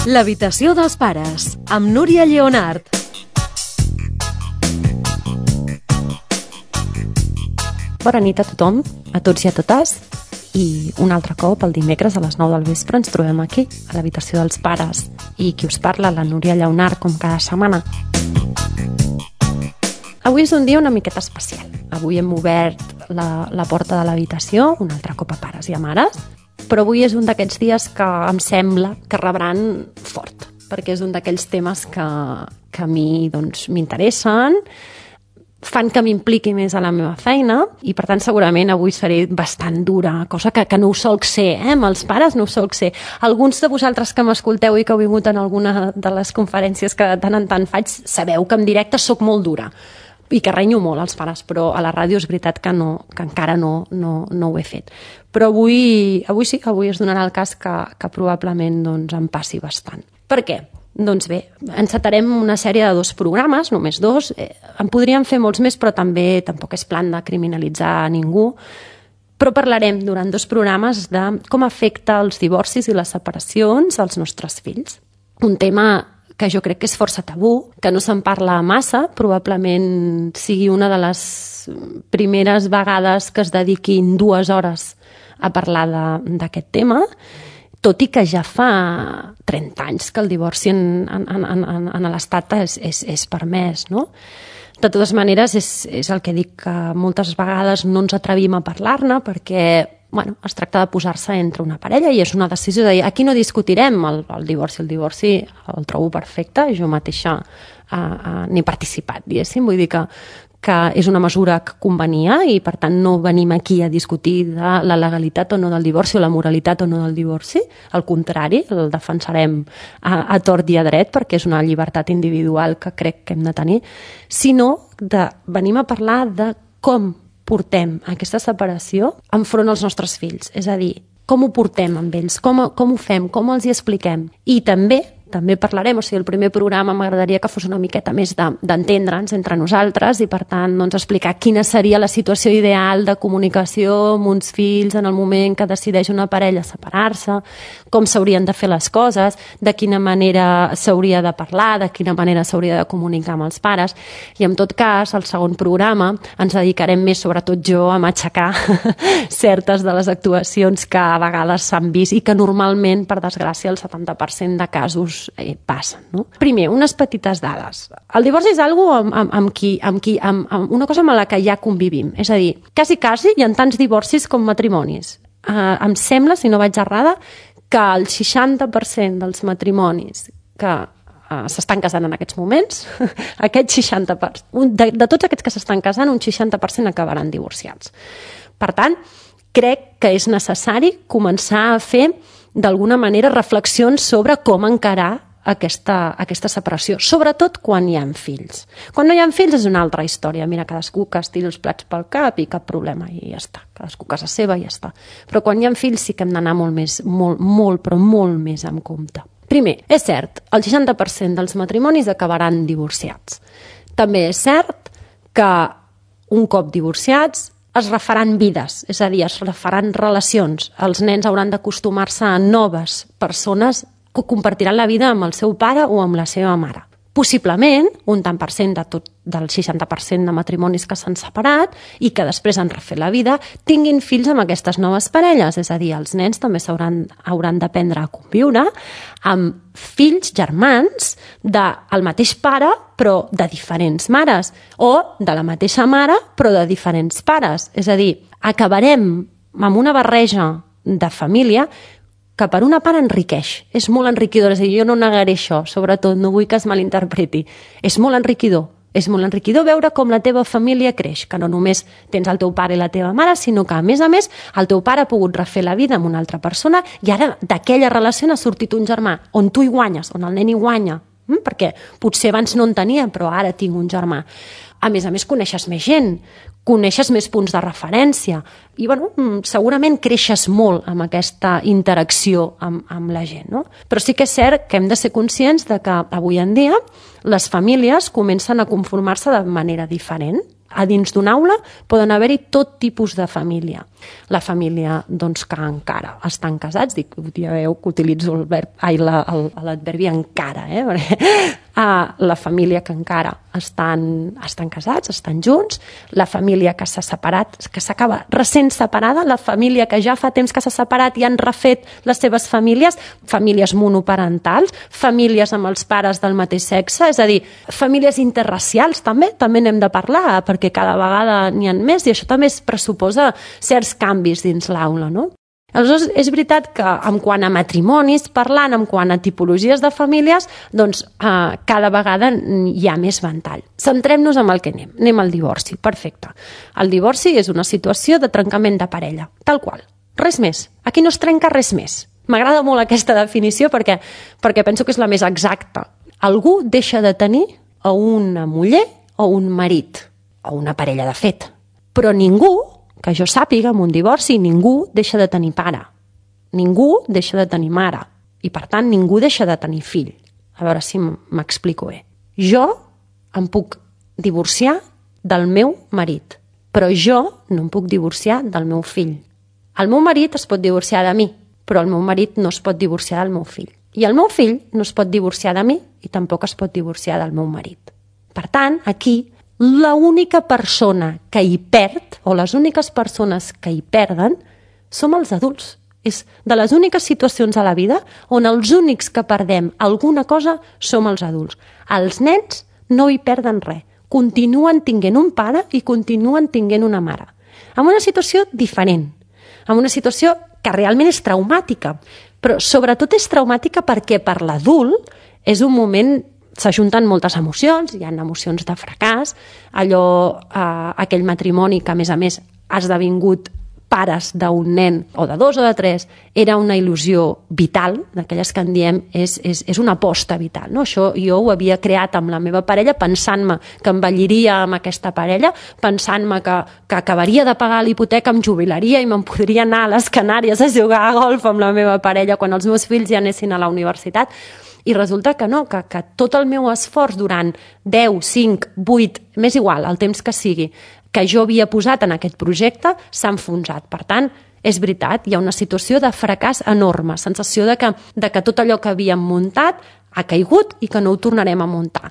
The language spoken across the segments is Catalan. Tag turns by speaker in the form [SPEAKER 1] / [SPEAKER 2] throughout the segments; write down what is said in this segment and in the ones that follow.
[SPEAKER 1] L'habitació dels pares, amb Núria Lleonart.
[SPEAKER 2] Bona nit a tothom, a tots i a totes. I un altre cop, el dimecres a les 9 del vespre, ens trobem aquí, a l'habitació dels pares. I qui us parla, la Núria Lleonart, com cada setmana. Avui és un dia una miqueta especial. Avui hem obert la porta de l'habitació, un altre cop a pares i a mares, però avui és un d'aquests dies que em sembla que rebran fort, perquè és un d'aquells temes que a mi m'interessen, fan que m'impliqui més a la meva feina i, per tant, segurament avui seré bastant dura, cosa que no ho solc ser, amb els pares no ho solc ser. Alguns de vosaltres que m'escolteu i que heu vingut en alguna de les conferències que de tant en tant faig, sabeu que en directe sóc molt dura i que renyo molt als pares, però a la ràdio és veritat que encara no ho he fet. Però avui sí, avui es donarà el cas que probablement em passi bastant. Per què? Doncs bé, encetarem una sèrie de 2 programes, només 2. En podríem fer molts més, però també tampoc és plan de criminalitzar a ningú. Però parlarem durant 2 programes de com afecta els divorcis i les separacions als nostres fills. Un tema que jo crec que és força tabú, que no se'n parla massa, probablement sigui una de les primeres vegades que es dediquin 2 hores a parlar d'aquest tema, tot i que ja fa 30 anys que el divorci en l'Estat és permès, no? De totes maneres, és el que dic, que moltes vegades no ens atrevim a parlar-ne perquè es tracta de posar-se entre una parella i és una decisió de dir, aquí no discutirem el divorci. El divorci el trobo perfecte, jo mateixa n'he participat, diguéssim, vull dir que és una mesura que convenia i, per tant, no venim aquí a discutir de la legalitat o no del divorci o la moralitat o no del divorci. Al contrari, el defensarem a tort i a dret perquè és una llibertat individual que crec que hem de tenir, sinó venim a parlar de com portem aquesta separació enfront als nostres fills. És a dir, com ho portem amb ells, com ho fem, com els hi expliquem. I també parlarem, el primer programa m'agradaria que fos una miqueta més d'entendre'ns entre nosaltres i, per tant, explicar quina seria la situació ideal de comunicació amb uns fills en el moment que decideix una parella separar-se, com s'haurien de fer les coses, de quina manera s'hauria de parlar, de quina manera s'hauria de comunicar amb els pares. I, en tot cas, al segon programa ens dedicarem més, sobretot jo, a matxacar certes de les actuacions que a vegades s'han vist i que normalment, per desgràcia, el 70% de casos passen, no? Primer, unes petites dades. El divorci és una cosa amb la que ja convivim. És a dir, quasi hi ha tants divorcis com matrimonis. Em sembla, si no vaig errada, que el 60% dels matrimonis que s'estan casant en aquests moments, aquest 60%, de tots aquests que s'estan casant, un 60% acabaran divorciats. Per tant, crec que és necessari començar a fer d'alguna manera reflexions sobre com encarar aquesta separació, sobretot quan hi ha fills. Quan no hi ha fills és una altra història. Mira, cadascú que es tiri els plats pel cap i cap problema, i ja està. Cadascú a casa seva i ja està. Però quan hi ha fills sí que hem d'anar molt més amb compte. Primer, és cert, el 60% dels matrimonis acabaran divorciats. També és cert que un cop divorciats es refaran vides, és a dir, es refaran relacions. Els nens hauran d'acostumar-se a noves persones que compartiran la vida amb el seu pare o amb la seva mare. Possiblement, un tant per cent del 60% de matrimonis que s'han separat i que després han refet la vida, tinguin fills amb aquestes noves parelles. És a dir, els nens també hauran d'aprendre a conviure amb fills germans del mateix pare però de diferents mares, o de la mateixa mare però de diferents pares. És a dir, acabarem amb una barreja de família que per una part enriqueix, és molt enriquidor, és a dir, jo no negaré això, sobretot no vull que es malinterpreti, és molt enriquidor veure com la teva família creix, que no només tens el teu pare i la teva mare, sinó que a més el teu pare ha pogut refer la vida amb una altra persona i ara d'aquella relació n'ha sortit un germà, on tu hi guanyes, on el nen hi guanya, perquè potser abans no en tenia, però ara tinc un germà. A més, coneixes més gent, coneixes més punts de referència i, segurament creixes molt amb aquesta interacció amb la gent, no? Però sí que és cert que hem de ser conscients de que avui en dia les famílies comencen a conformar-se de manera diferent. A dins d'una aula poden haver-hi tot tipus de família. La família doncs, que encara estan casats, ja veieu que utilitzo l'adverbi encara, perquè la família que encara estan casats, estan junts, la família que s'ha separat, que s'acaba recent separada, la família que ja fa temps que s'ha separat i han refet les seves famílies, famílies monoparentals, famílies amb els pares del mateix sexe, és a dir, famílies interracials també n'hem de parlar, perquè cada vegada n'hi ha més i això també es pressuposa certs canvis dins l'aula, no? Aleshores, és veritat que en quant a matrimonis, parlant en quant a tipologies de famílies, doncs cada vegada hi ha més ventall. Centrem-nos en el que anem al divorci, perfecte. El divorci és una situació de trencament de parella, tal qual, res més. Aquí no es trenca res més. M'agrada molt aquesta definició perquè penso que és la més exacta. Algú deixa de tenir a una muller o un marit, o una parella de fet, però ningú, que jo sàpiga, en un divorci, ningú deixa de tenir pare. Ningú deixa de tenir mare. I, per tant, ningú deixa de tenir fill. A veure si m'explico bé. Jo em puc divorciar del meu marit, però jo no em puc divorciar del meu fill. El meu marit es pot divorciar de mi, però el meu marit no es pot divorciar del meu fill. I el meu fill no es pot divorciar de mi i tampoc es pot divorciar del meu marit. Per tant, aquí, l'única persona que hi perd, o les úniques persones que hi perden, som els adults. És de les úniques situacions a la vida on els únics que perdem alguna cosa som els adults. Els nens no hi perden res. Continuen tinguent un pare i continuen tinguent una mare. En una situació diferent. En una situació que realment és traumàtica. Però sobretot és traumàtica perquè per l'adult és un moment... S'ajunten moltes emocions, hi ha emocions de fracàs, aquell matrimoni que, a més, ha esdevingut pares d'un nen, o de 2 o de 3, era una il·lusió vital, d'aquelles que en diem és una aposta vital. No? Això jo ho havia creat amb la meva parella, pensant-me que envelliria amb aquesta parella, pensant-me que acabaria de pagar l'hipoteca, em jubilaria i me'n podria anar a les Canàries a jugar a golf amb la meva parella quan els meus fills ja anessin a la universitat. I resulta que no, que tot el meu esforç durant 10, 5, 8, m'és igual, el temps que sigui, que jo havia posat en aquest projecte, s'ha enfonsat. Per tant, és veritat, hi ha una situació de fracàs enorme, sensació de que tot allò que havíem muntat ha caigut i que no ho tornarem a muntar.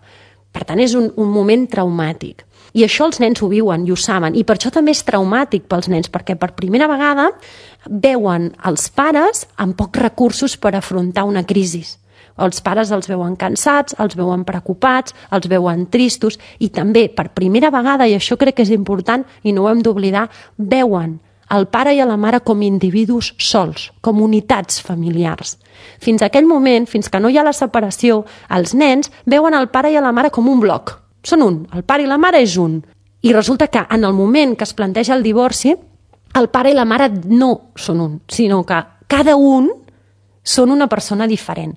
[SPEAKER 2] Per tant, és un moment traumàtic. I això els nens ho viuen i ho saben. I per això també és traumàtic pels nens, perquè per primera vegada veuen els pares amb pocs recursos per afrontar una crisi. Els pares els veuen cansats, els veuen preocupats, els veuen tristos i també, per primera vegada, i això crec que és important i no ho hem d'oblidar, veuen el pare i la mare com individus sols, com unitats familiars. Fins a aquell moment, fins que no hi ha la separació, els nens veuen el pare i la mare com un bloc. Són un, el pare i la mare és un. I resulta que en el moment que es planteja el divorci, el pare i la mare no són un, sinó que cada un són una persona diferent.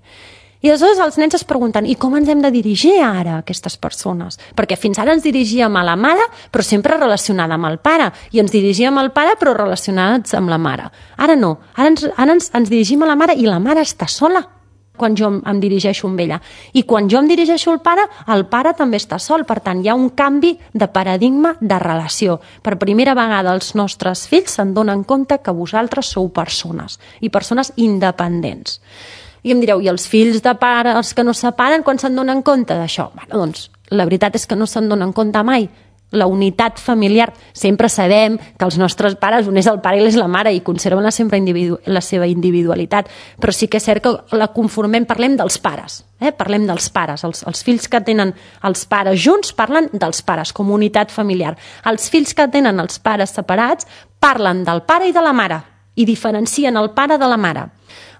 [SPEAKER 2] I aleshores els nens es pregunten, i com ens hem de dirigir ara a aquestes persones? Perquè fins ara ens dirigíem a la mare, però sempre relacionada amb el pare, i ens dirigíem al pare, però relacionats amb la mare. Ara no, ara ens dirigim a la mare i la mare està sola quan jo em dirigeixo amb ella. I quan jo em dirigeixo al pare també està sol. Per tant, hi ha un canvi de paradigma de relació. Per primera vegada els nostres fills se'n donen compte que vosaltres sou persones, i persones independents. I em direu, i els fills de pare, els que no separen, quan se'n donen compte d'això? Bueno, doncs, la veritat és que no se'n donen compte mai. La unitat familiar, sempre sabem que els nostres pares, un és el pare i l'és la mare, i conserven la seva individualitat, però sí que és cert que la conformem, parlem dels pares, parlem dels pares. Els fills que tenen els pares junts parlen dels pares, com unitat familiar. Els fills que tenen els pares separats parlen del pare i de la mare, i diferencien el pare de la mare.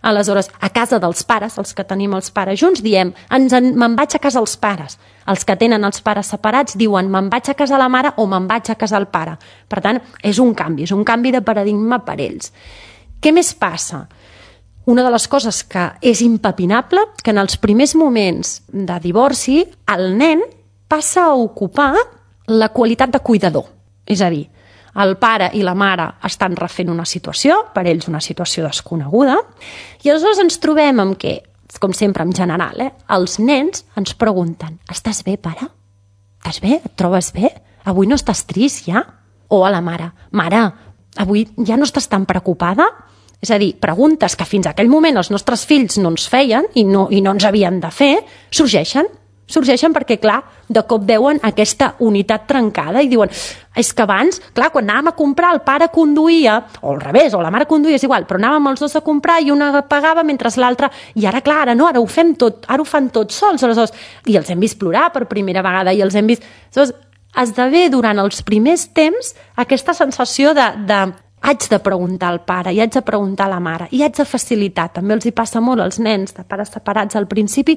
[SPEAKER 2] Aleshores, a casa dels pares, els que tenim els pares junts, diem, me'n vaig a casa els pares. Els que tenen els pares separats diuen, me'n vaig a casa la mare o me'n vaig a casa el pare. Per tant, és un canvi de paradigma per ells. Què més passa? Una de les coses que és impepinable, que en els primers moments de divorci, el nen passa a ocupar la qualitat de cuidador. És a dir, el pare i la mare estan refent una situació, per ells una situació desconeguda, i aleshores ens trobem amb que, com sempre en general, els nens ens pregunten, estàs bé, pare? Estàs bé? Et trobes bé? avui no estàs trist ja? O a la mare, mare, avui ja no estàs tan preocupada? És a dir, preguntes que fins a aquell moment els nostres fills no ens feien i no ens havien de fer, sorgeixen perquè, clar, de cop veuen aquesta unitat trencada i diuen, és que abans, clar, quan anàvem a comprar el pare conduïa, o al revés, o la mare conduïa, és igual, però anàvem els dos a comprar i una pagava mentre l'altra, i ara, clar, ara no, ara ho fem tot, ara ho fan tots sols, aleshores, i els hem vist plorar per primera vegada, i els hem vist... Aleshores, esdevé durant els primers temps aquesta sensació de haig de preguntar al pare, i haig de preguntar a la mare, i haig de facilitar. També els hi passa molt als nens de pares separats al principi,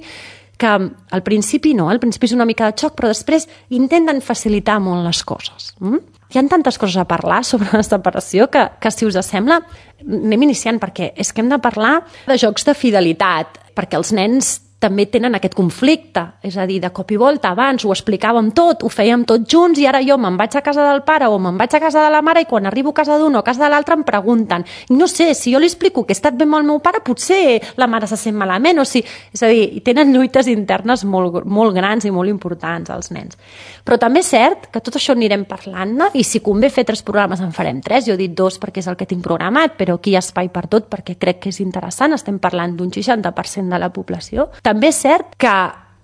[SPEAKER 2] que al principi no, al principi és una mica de xoc, però després intenten facilitar molt les coses. Hi ha tantes coses a parlar sobre la separació que si us sembla, anem iniciant, perquè és que hem de parlar de jocs de fidelitat, perquè els nens també tenen aquest conflicte, és a dir, de cop i volta, abans ho explicàvem tot, ho fèiem tots junts i ara jo me'n vaig a casa del pare o me'n vaig a casa de la mare i quan arribo a casa d'un o a casa de l'altre em pregunten. I no sé, si jo li explico que he estat bé amb el meu pare, potser la mare se sent malament, o si... És a dir, tenen lluites internes molt grans i molt importants, els nens. Però també és cert que tot això anirem parlant-ne i si convé fer 3 programes en farem 3, jo he dit 2 perquè és el que tinc programat, però aquí hi ha espai per tot perquè crec que és interessant, estem parlant d'un 60% de la població. També és cert que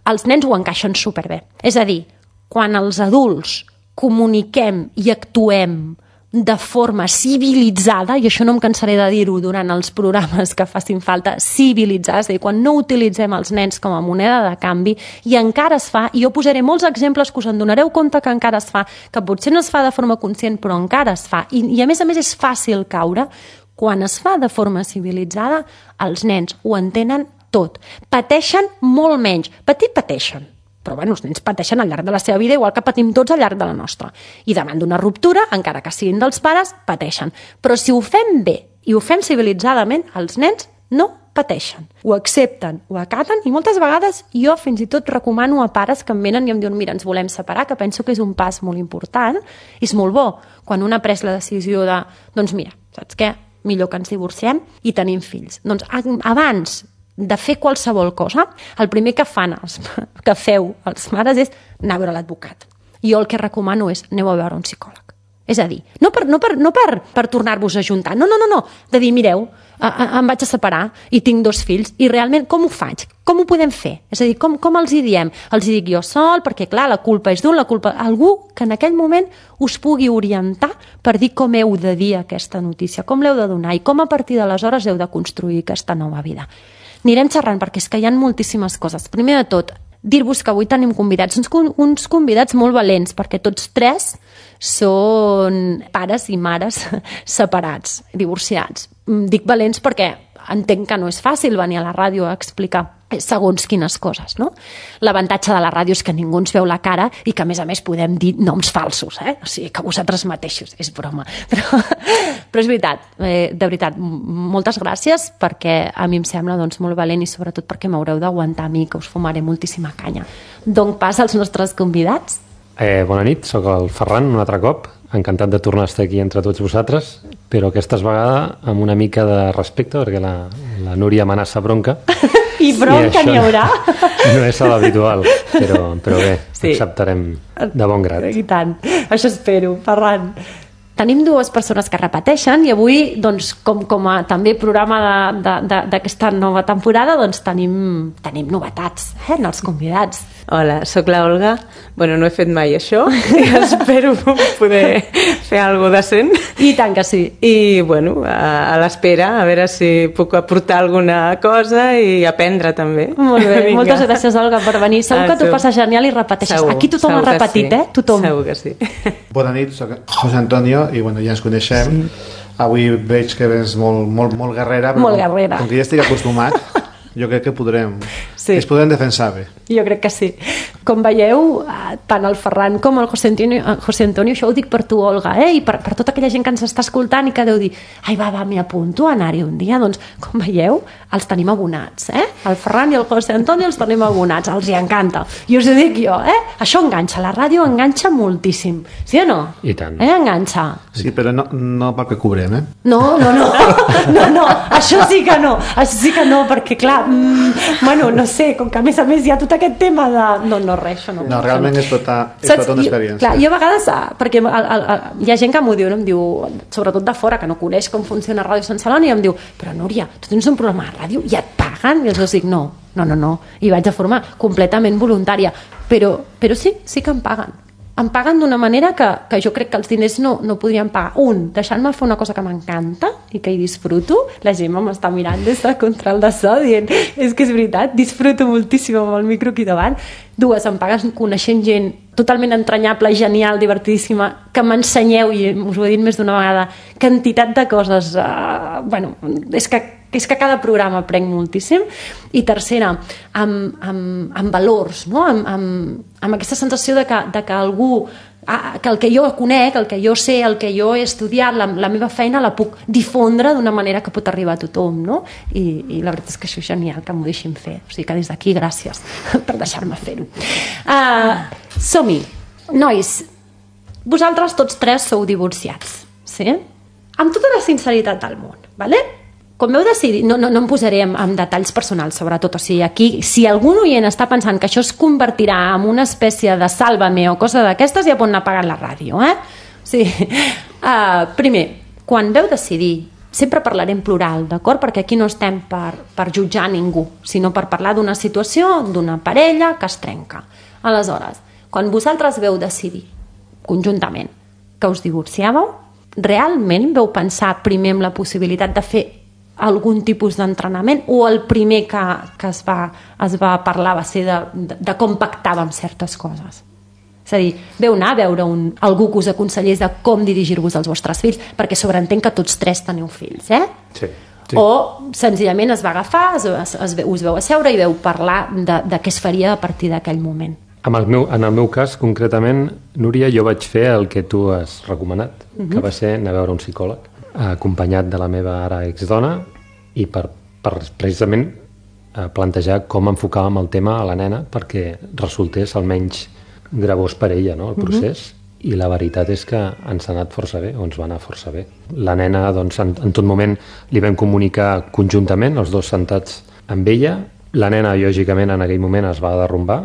[SPEAKER 2] els nens ho encaixen superbé. És a dir, quan els adults comuniquem i actuem de forma civilitzada, i això no em cansaré de dir-ho durant els programes que facin falta, civilitzada, és a dir, quan no utilitzem els nens com a moneda de canvi, i encara es fa, i jo posaré molts exemples que us en donareu compte que encara es fa, que potser no es fa de forma conscient, però encara es fa, i a més és fàcil caure, quan es fa de forma civilitzada, els nens ho entenen tot. Pateixen molt menys. Pateixen. Però bueno, els nens pateixen al llarg de la seva vida igual que patim tots al llarg de la nostra. I davant d'una ruptura, encara que siguin dels pares, pateixen. Però si ho fem bé i ho fem civilitzadament, els nens no pateixen. Ho accepten, ho acaten i moltes vegades jo fins i tot recomano a pares que em venen i em diuen mira, ens volem separar, que penso que és un pas molt important i és molt bo quan un ha pres la decisió de doncs mira, saps què? Millor que ens divorciem i tenim fills. Doncs abans de fer qualsevol cosa, el primer que feu els mares és anar a veure l'advocat. Jo el que recomano és aneu a veure un psicòleg. És a dir, no per tornar-vos a juntar, no, de dir, mireu, em vaig a separar i tinc 2 fills i realment com ho faig? Com ho podem fer? És a dir, com els hi diem? Els hi dic jo sol, perquè clar, la culpa és d'un, algú que en aquell moment us pugui orientar per dir com heu de dir aquesta notícia, com l'heu de donar i com a partir d'aleshores heu de construir aquesta nova vida. Anirem xerrant perquè és que hi ha moltíssimes coses. Primer de tot, dir-vos que avui tenim convidats, uns convidats molt valents, perquè tots 3 són pares i mares separats, divorciats. Dic valents perquè entenc que no és fàcil venir a la ràdio a explicar segons quines coses, no? L'avantatge de la ràdio és que ningú ens veu la cara i que, a més, podem dir noms falsos, o sigui, que vosaltres mateixos, és broma. Però és veritat, de veritat, moltes gràcies perquè a mi em sembla molt valent i sobretot perquè m'haureu d'aguantar a mi, que us fumaré moltíssima canya. Doncs pas als nostres convidats.
[SPEAKER 3] Bona nit, sóc el Ferran, un altre cop. Encantat de tornar a estar aquí entre tots vosaltres, però aquesta vegada amb una mica de respecte, perquè la Núria amenaça bronca.
[SPEAKER 2] I bronca n'hi haurà.
[SPEAKER 3] No és l'habitual, però bé, sí. Acceptarem de bon grat.
[SPEAKER 2] I tant, això espero, Ferran. Tenim 2 persones que repeteixen i avui, doncs, com a també programa d'aquesta nova temporada, doncs tenim novetats en els convidats.
[SPEAKER 4] Hola, sóc la Olga. Bueno, no he fet mai això i espero poder fer alguna cosa decent.
[SPEAKER 2] I tant que sí.
[SPEAKER 4] I, bueno, a l'espera, a veure si puc aportar alguna cosa i aprendre també.
[SPEAKER 2] Molt bé, moltes gràcies, Olga, per venir. Segur que t'ho passes genial i repeteixes.
[SPEAKER 4] Segur,
[SPEAKER 2] aquí tothom ha repetit,
[SPEAKER 4] sí.
[SPEAKER 2] Tothom.
[SPEAKER 4] Segur que sí.
[SPEAKER 5] Bona nit, soc José Antonio i bueno, ja ens coneixem. Sí. Avui veig que és molt guerrera, però
[SPEAKER 2] molt guerrera.
[SPEAKER 5] Com que ja estic acostumat, jo crec que es podrem defensar bé.
[SPEAKER 2] Jo crec que sí. Com veieu, tant el Ferran com el José Antonio, això ho dic per tu, Olga, i per tota aquella gent que ens està escoltant i que deu dir, ai, va, m'hi apunto a anar-hi un dia. Doncs, com veieu, els tenim abonats, El Ferran i el José Antonio els tenim abonats, els hi encanta. I us ho dic jo, Això enganxa, la ràdio enganxa moltíssim. Sí o no?
[SPEAKER 3] I tant.
[SPEAKER 2] Enganxa.
[SPEAKER 5] Sí, però no perquè cobrem,
[SPEAKER 2] No, això sí que no, perquè clar, bueno, no sé, com que a més hi ha tot aquest tema de... No, no res, això no.
[SPEAKER 5] No, realment és tota una experiència.
[SPEAKER 2] Clar, jo a vegades, perquè hi ha gent que m'ho diu, no? Em diu, sobretot de fora, que no coneix com funciona Ràdio Sant Celoni, i em diu, però Núria, tu tens un programa de ràdio i et paguen? I els dic, no, i vaig de forma completament voluntària, però sí que em paguen. Em paguen d'una manera que jo crec que els diners no podrien pagar. Deixant-me fer una cosa que m'encanta i que hi disfruto. La gent m'està mirant des de control de so dient, és que és veritat, disfruto moltíssim amb el micro aquí davant. 2, em paguen coneixent gent totalment entranyable, genial, divertidíssima, que m'ensenyeu, i us ho he dit més d'una vegada, quantitat de coses. És que cada programa aprenc moltíssim. I tercera, amb valors, no? amb aquesta sensació de que algú, que el que jo conec, el que jo sé, el que jo he estudiat, la meva feina la puc difondre d'una manera que pot arribar a tothom, no? I la veritat és que això és genial, que m'ho deixin fer. O sigui que des d'aquí, gràcies per deixar-me fer-ho. Som-hi. Nois, vosaltres tots 3 sou divorciats, sí? Amb tota la sinceritat del món, vale? Com veu decidir, no em posaré en detalls personals, sobretot, o sigui, aquí, si algun oient està pensant que això es convertirà en una espècie de Sálvame o cosa d'aquestes, ja pot anar pagant la ràdio, eh? Sí. Primer, quan veu decidir, sempre parlaré en plural, d'acord? Perquè aquí no estem per jutjar ningú, sinó per parlar d'una situació, d'una parella que es trenca. Aleshores, quan vosaltres veu decidir, conjuntament, que us divorciàveu, realment veu pensar primer en la possibilitat de fer algun tipus d'entrenament, o el primer que es va parlar va ser de com pactàvem certes coses? És a dir, veu anar a veure algú que us aconsellés de com dirigir-vos als vostres fills, perquè sobreentenc que tots 3 teniu fills, eh?
[SPEAKER 3] Sí.
[SPEAKER 2] O senzillament es va agafar, us veu asseure i veu parlar de què es faria a partir d'aquell moment.
[SPEAKER 3] En el meu cas, concretament, Núria, jo vaig fer el que tu has recomanat, que va ser anar a veure un psicòleg, acompanyat de la meva ara exdona, i per precisament plantejar com enfocàvem el tema a la nena perquè resultés almenys gravós per ella, no?, el procés. I la veritat és que ens ha anat força bé, o ens va anar força bé. La nena, doncs, en tot moment li vam comunicar conjuntament, els 2 sentats amb ella. La nena, lògicament, en aquell moment es va derrumbar,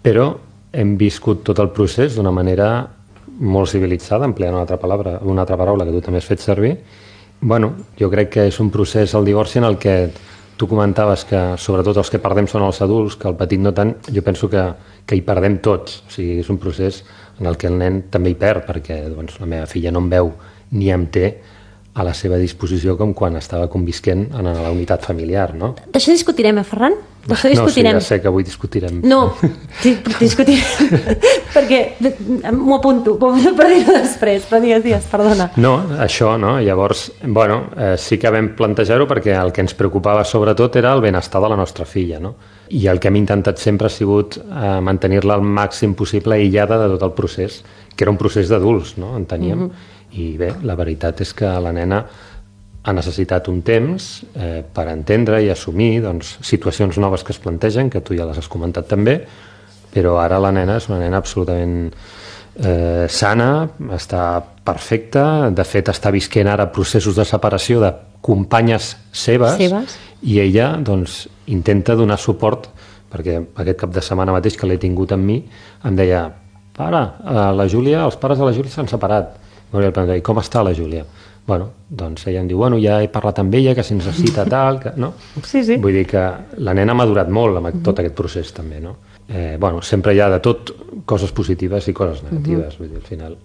[SPEAKER 3] però hem viscut tot el procés d'una manera molt civilitzada, empleant una altra paraula que tu també has fet servir. Bueno, jo crec que és un procés, el divorci, en el que tu comentaves que sobretot els que perdem són els adults, que el petit no tant. Jo penso que hi perdem tots. O sigui, és un procés en el que el nen també hi perd, perquè doncs, la meva filla no em veu ni em té a la seva disposició com quan estava convisquent en la unitat familiar, no?
[SPEAKER 2] D'això discutirem, Ferran? D'això discutirem.
[SPEAKER 3] No, sí, ja sé que avui discutirem.
[SPEAKER 2] No, sí, discutirem, perquè m'ho apunto per dir-ho després, però digues, perdona.
[SPEAKER 3] No, això, no? Llavors, bueno, sí que vam plantejar-ho perquè el que ens preocupava sobretot era el benestar de la nostra filla, no? I el que hem intentat sempre ha sigut mantenir-la al màxim possible aïllada de tot el procés, que era un procés d'adults, no? Enteníem. I bé, la veritat és que la nena ha necessitat un temps per entendre i assumir doncs, situacions noves que es plantegen, que tu ja les has comentat també, però ara la nena és una nena absolutament sana, està perfecta, de fet està visquent ara processos de separació de companyes seves. I ella doncs, intenta donar suport, perquè aquest cap de setmana mateix que l'he tingut amb mi em deia, pare, els pares de la Júlia s'han separat. I com està la Júlia? Bueno, doncs ella em diu, bueno, ja he parlat amb ella, que si necessita tal, que... no?
[SPEAKER 2] Sí.
[SPEAKER 3] Vull dir que la nena ha madurat molt amb tot aquest procés també, no? Bueno, sempre hi ha de tot coses positives i coses negatives, vull dir, al final.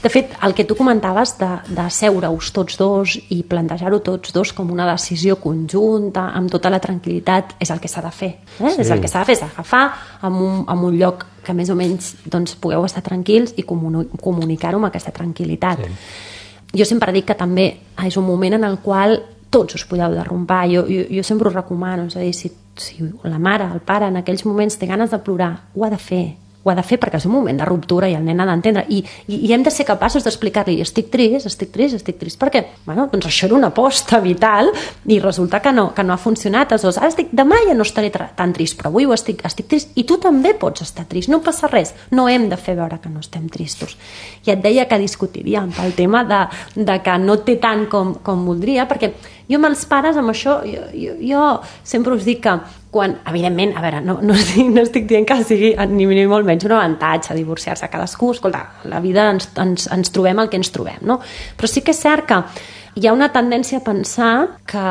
[SPEAKER 2] De fet, el que tu comentaves de seure-us tots 2 i plantejar-ho tots 2 com una decisió conjunta, amb tota la tranquil·litat, és el que s'ha de fer. Sí. És el que s'ha de fer, s'ha d'agafar en un lloc que més o menys doncs, pugueu estar tranquils i comunicar-ho amb aquesta tranquil·litat. Sí. Jo sempre dic que també és un moment en el qual tots us podeu derrumbar. Jo sempre us recomano, és a dir, si la mare, el pare, en aquells moments té ganes de plorar, ho ha de fer perquè és un moment de ruptura i el nen ha d'entendre i hem de ser capaços d'explicar-li estic trist perquè doncs això era una aposta vital i resulta que no ha funcionat, aleshores demà ja no estaré tan trist, però avui estic trist i tu també pots estar trist, no passa res, no hem de fer veure que no estem tristos. I et deia que discutiríem pel tema de que no té tant com voldria, perquè Jo amb els pares, amb això, jo sempre us dic que quan, evidentment, a veure, no estic dient que sigui ni molt menys un avantatge divorciar-se, cadascú, escolta, la vida ens trobem el que ens trobem, no? Però sí que és cert que hi ha una tendència a pensar que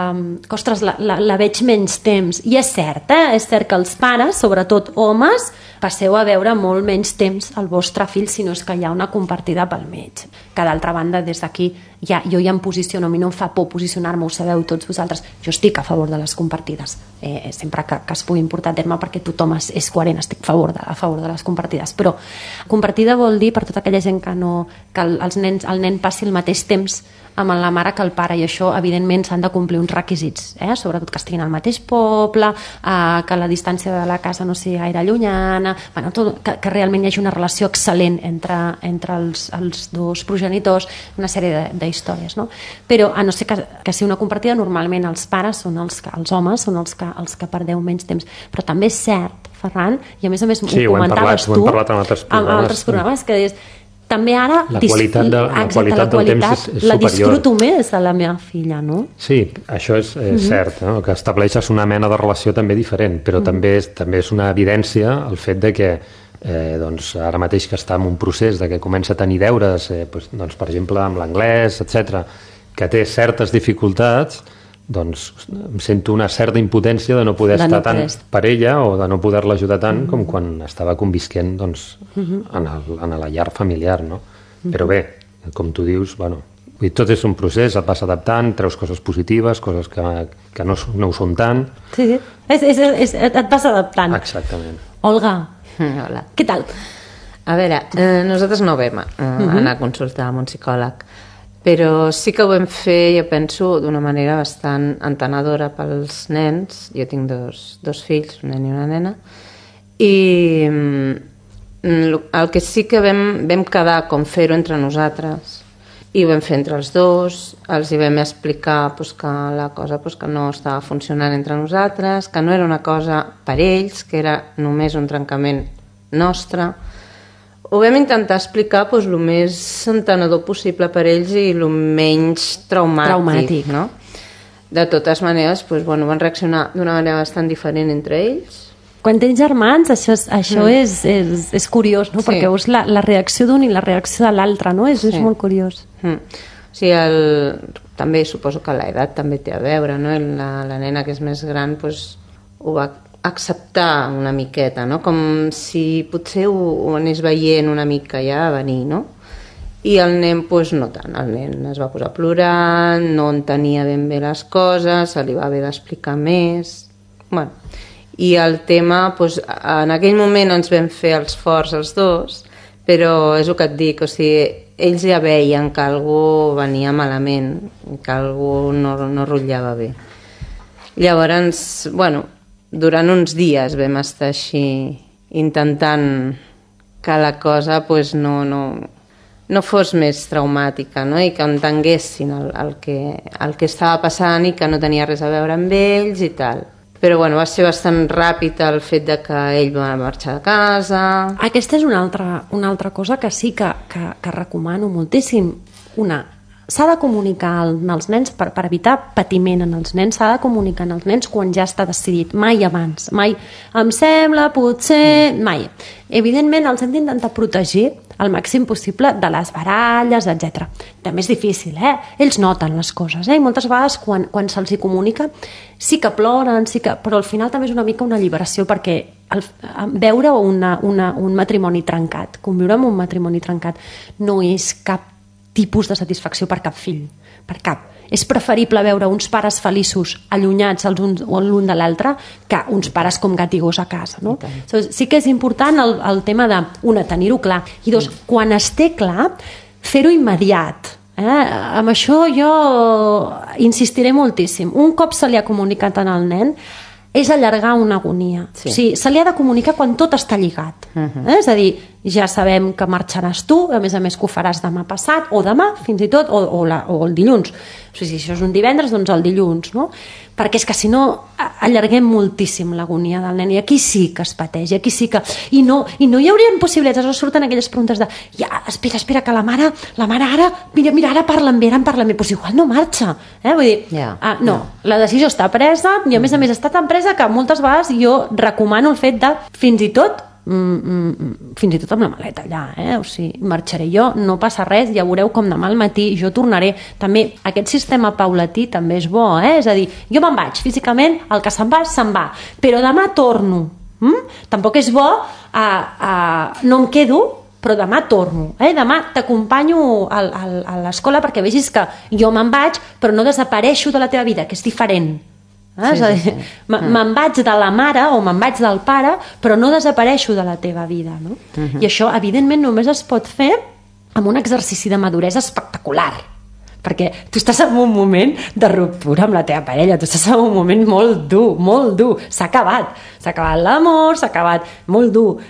[SPEAKER 2] ostres, la veig menys temps. I és cert, És cert que els pares, sobretot homes, passeu a veure molt menys temps el vostre fill si no és que hi ha una compartida pel mig. Que d'altra banda, des d'aquí, jo ja em posiciono, a mi no em fa por posicionar-me, ho sabeu tots vosaltres. Jo estic a favor de les compartides, sempre que es puguin portar a terme, perquè tothom és coherent, estic a favor de les compartides. Però compartida vol dir, per tota aquella gent que el nen passi el mateix temps amb la mare que el pare, i això evidentment s'han de complir uns requisits, sobretot que estiguin al mateix poble, que la distància de la casa no sigui gaire llunyana, que realment hi hagi una relació excel·lent entre els dos progenitors, una sèrie d'històries, no? Però a no ser que sigui una compartida, normalment els pares són els homes són els que perdeu menys temps. Però també és cert, Ferran, i a més ho comentaves tu
[SPEAKER 3] ho hem parlat en altres
[SPEAKER 2] programes, que deies també ara
[SPEAKER 3] la qualitat del temps és superior.
[SPEAKER 2] La disfruto més a la meva filla, no?
[SPEAKER 3] Sí, això és cert, no? Que estableixes una mena de relació també diferent, però també és una evidència el fet de que doncs ara mateix que està en un procés de que comença a tenir deures, doncs, per exemple, amb l'anglès, etc, que té certes dificultats, doncs em sento una certa impotència de no poder estar tant per ella o de no poder-la ajudar tant com quan estava convisquent doncs, en la llar familiar, no? Però bé, com tu dius, tot és un procés, et vas adaptant, treus coses positives, coses que no ho són tant.
[SPEAKER 2] Sí, et vas adaptant.
[SPEAKER 3] Exactament.
[SPEAKER 2] Olga,
[SPEAKER 4] hola.
[SPEAKER 2] Què tal?
[SPEAKER 4] A veure, nosaltres no vam anar a consultar amb un psicòleg, però sí que ho vam fer, jo penso, d'una manera bastant entenedora pels nens. Jo tinc dos fills, un nen i una nena, i el que sí que vam quedar com fer-ho entre nosaltres, i ho vam fer entre els dos, els hi vam explicar que la cosa que no estava funcionant entre nosaltres, que no era una cosa per ells, que era només un trencament nostre. Ho vam intentar explicar el més entenedor possible per ells i el menys traumàtic, no? De totes maneres, van reaccionar d'una manera bastant diferent entre ells.
[SPEAKER 2] Quan tens germans, això és curiós, no? Sí. Perquè veus la reacció d'un i la reacció de l'altre, no? És molt curiós.
[SPEAKER 4] Sí, també suposo que l'edat també té a veure, no? La nena que és més gran ho va acceptar una miqueta, no? Com si potser ho anés veient una mica ja a venir, no? I el nen, no tant. El nen es va posar a plorar, no entenia ben bé les coses, se li va haver d'explicar més. I el tema, en aquell moment ens vam fer els forts els dos, però és el que et dic, ells ja veien que algú venia malament, que algú no rotllava bé. Llavors, durant uns dies vam estar així intentant que la cosa no fos més traumàtica, no? I que entenguessin el que estava passant i que no tenia res a veure amb ells i tal. Però va ser bastant ràpid el fet de que ell va marxar de casa.
[SPEAKER 2] Aquesta és una altra cosa que sí que recomano moltíssim. S'ha de comunicar als nens per evitar patiment en els nens, s'ha de comunicar als nens quan ja està decidit, mai abans, mai em sembla, potser, mai. Evidentment els hem d'intentar protegir al màxim possible de les baralles, etc. També és difícil, ells noten les coses, i moltes vegades quan se'ls hi comunica sí que ploren, però al final també és una mica una alliberació, perquè veure un matrimoni trencat, conviure amb un matrimoni trencat no és cap tipus de satisfacció per cap fill, per cap. És preferible veure uns pares feliços allunyats l'un de l'altre que uns pares com gat i gos a casa, no? Sí que és important el tema de, una, tenir-ho clar, i dos, quan es té clar, fer-ho immediat. Amb això jo insistiré moltíssim. Un cop se li ha comunicat al nen, és allargar una agonia. Sí. O sigui, se li ha de comunicar quan tot està lligat. És a dir, ja sabem que marxaràs tu, a més que ho faràs demà passat, o demà, fins i tot, o el dilluns. O sigui, si això és un divendres, doncs el dilluns, no? Perquè és que si no, allarguem moltíssim l'agonia del nen, i aquí sí que es pateix, i aquí sí que... I no hi haurien possibilitats, aleshores surten aquelles preguntes de espera, que la mare ara, mira, ara parlen bé, doncs igual no marxa, vull dir, la decisió està presa, i a més està tan presa que moltes vegades jo recomano el fet de, fins i tot amb la maleta allà, o sigui, marxaré jo, no passa res, ja veureu com demà al matí jo tornaré. També aquest sistema paulatí també és bo, és a dir, jo me'n vaig físicament, el que se'n va, però demà torno. Tampoc és bo no em quedo, però demà torno, demà t'acompanyo a l'escola perquè vegis que jo me'n vaig però no desapareixo de la teva vida, que és diferent. És a dir, me'n vaig de la mare o me'n vaig del pare, però no desapareixo de la teva vida, no? I això evidentment només es pot fer amb un exercici de maduresa espectacular, perquè tu estàs en un moment de ruptura amb la teva parella, tu estàs en un moment molt dur, s'ha acabat l'amor, s'ha acabat molt dur.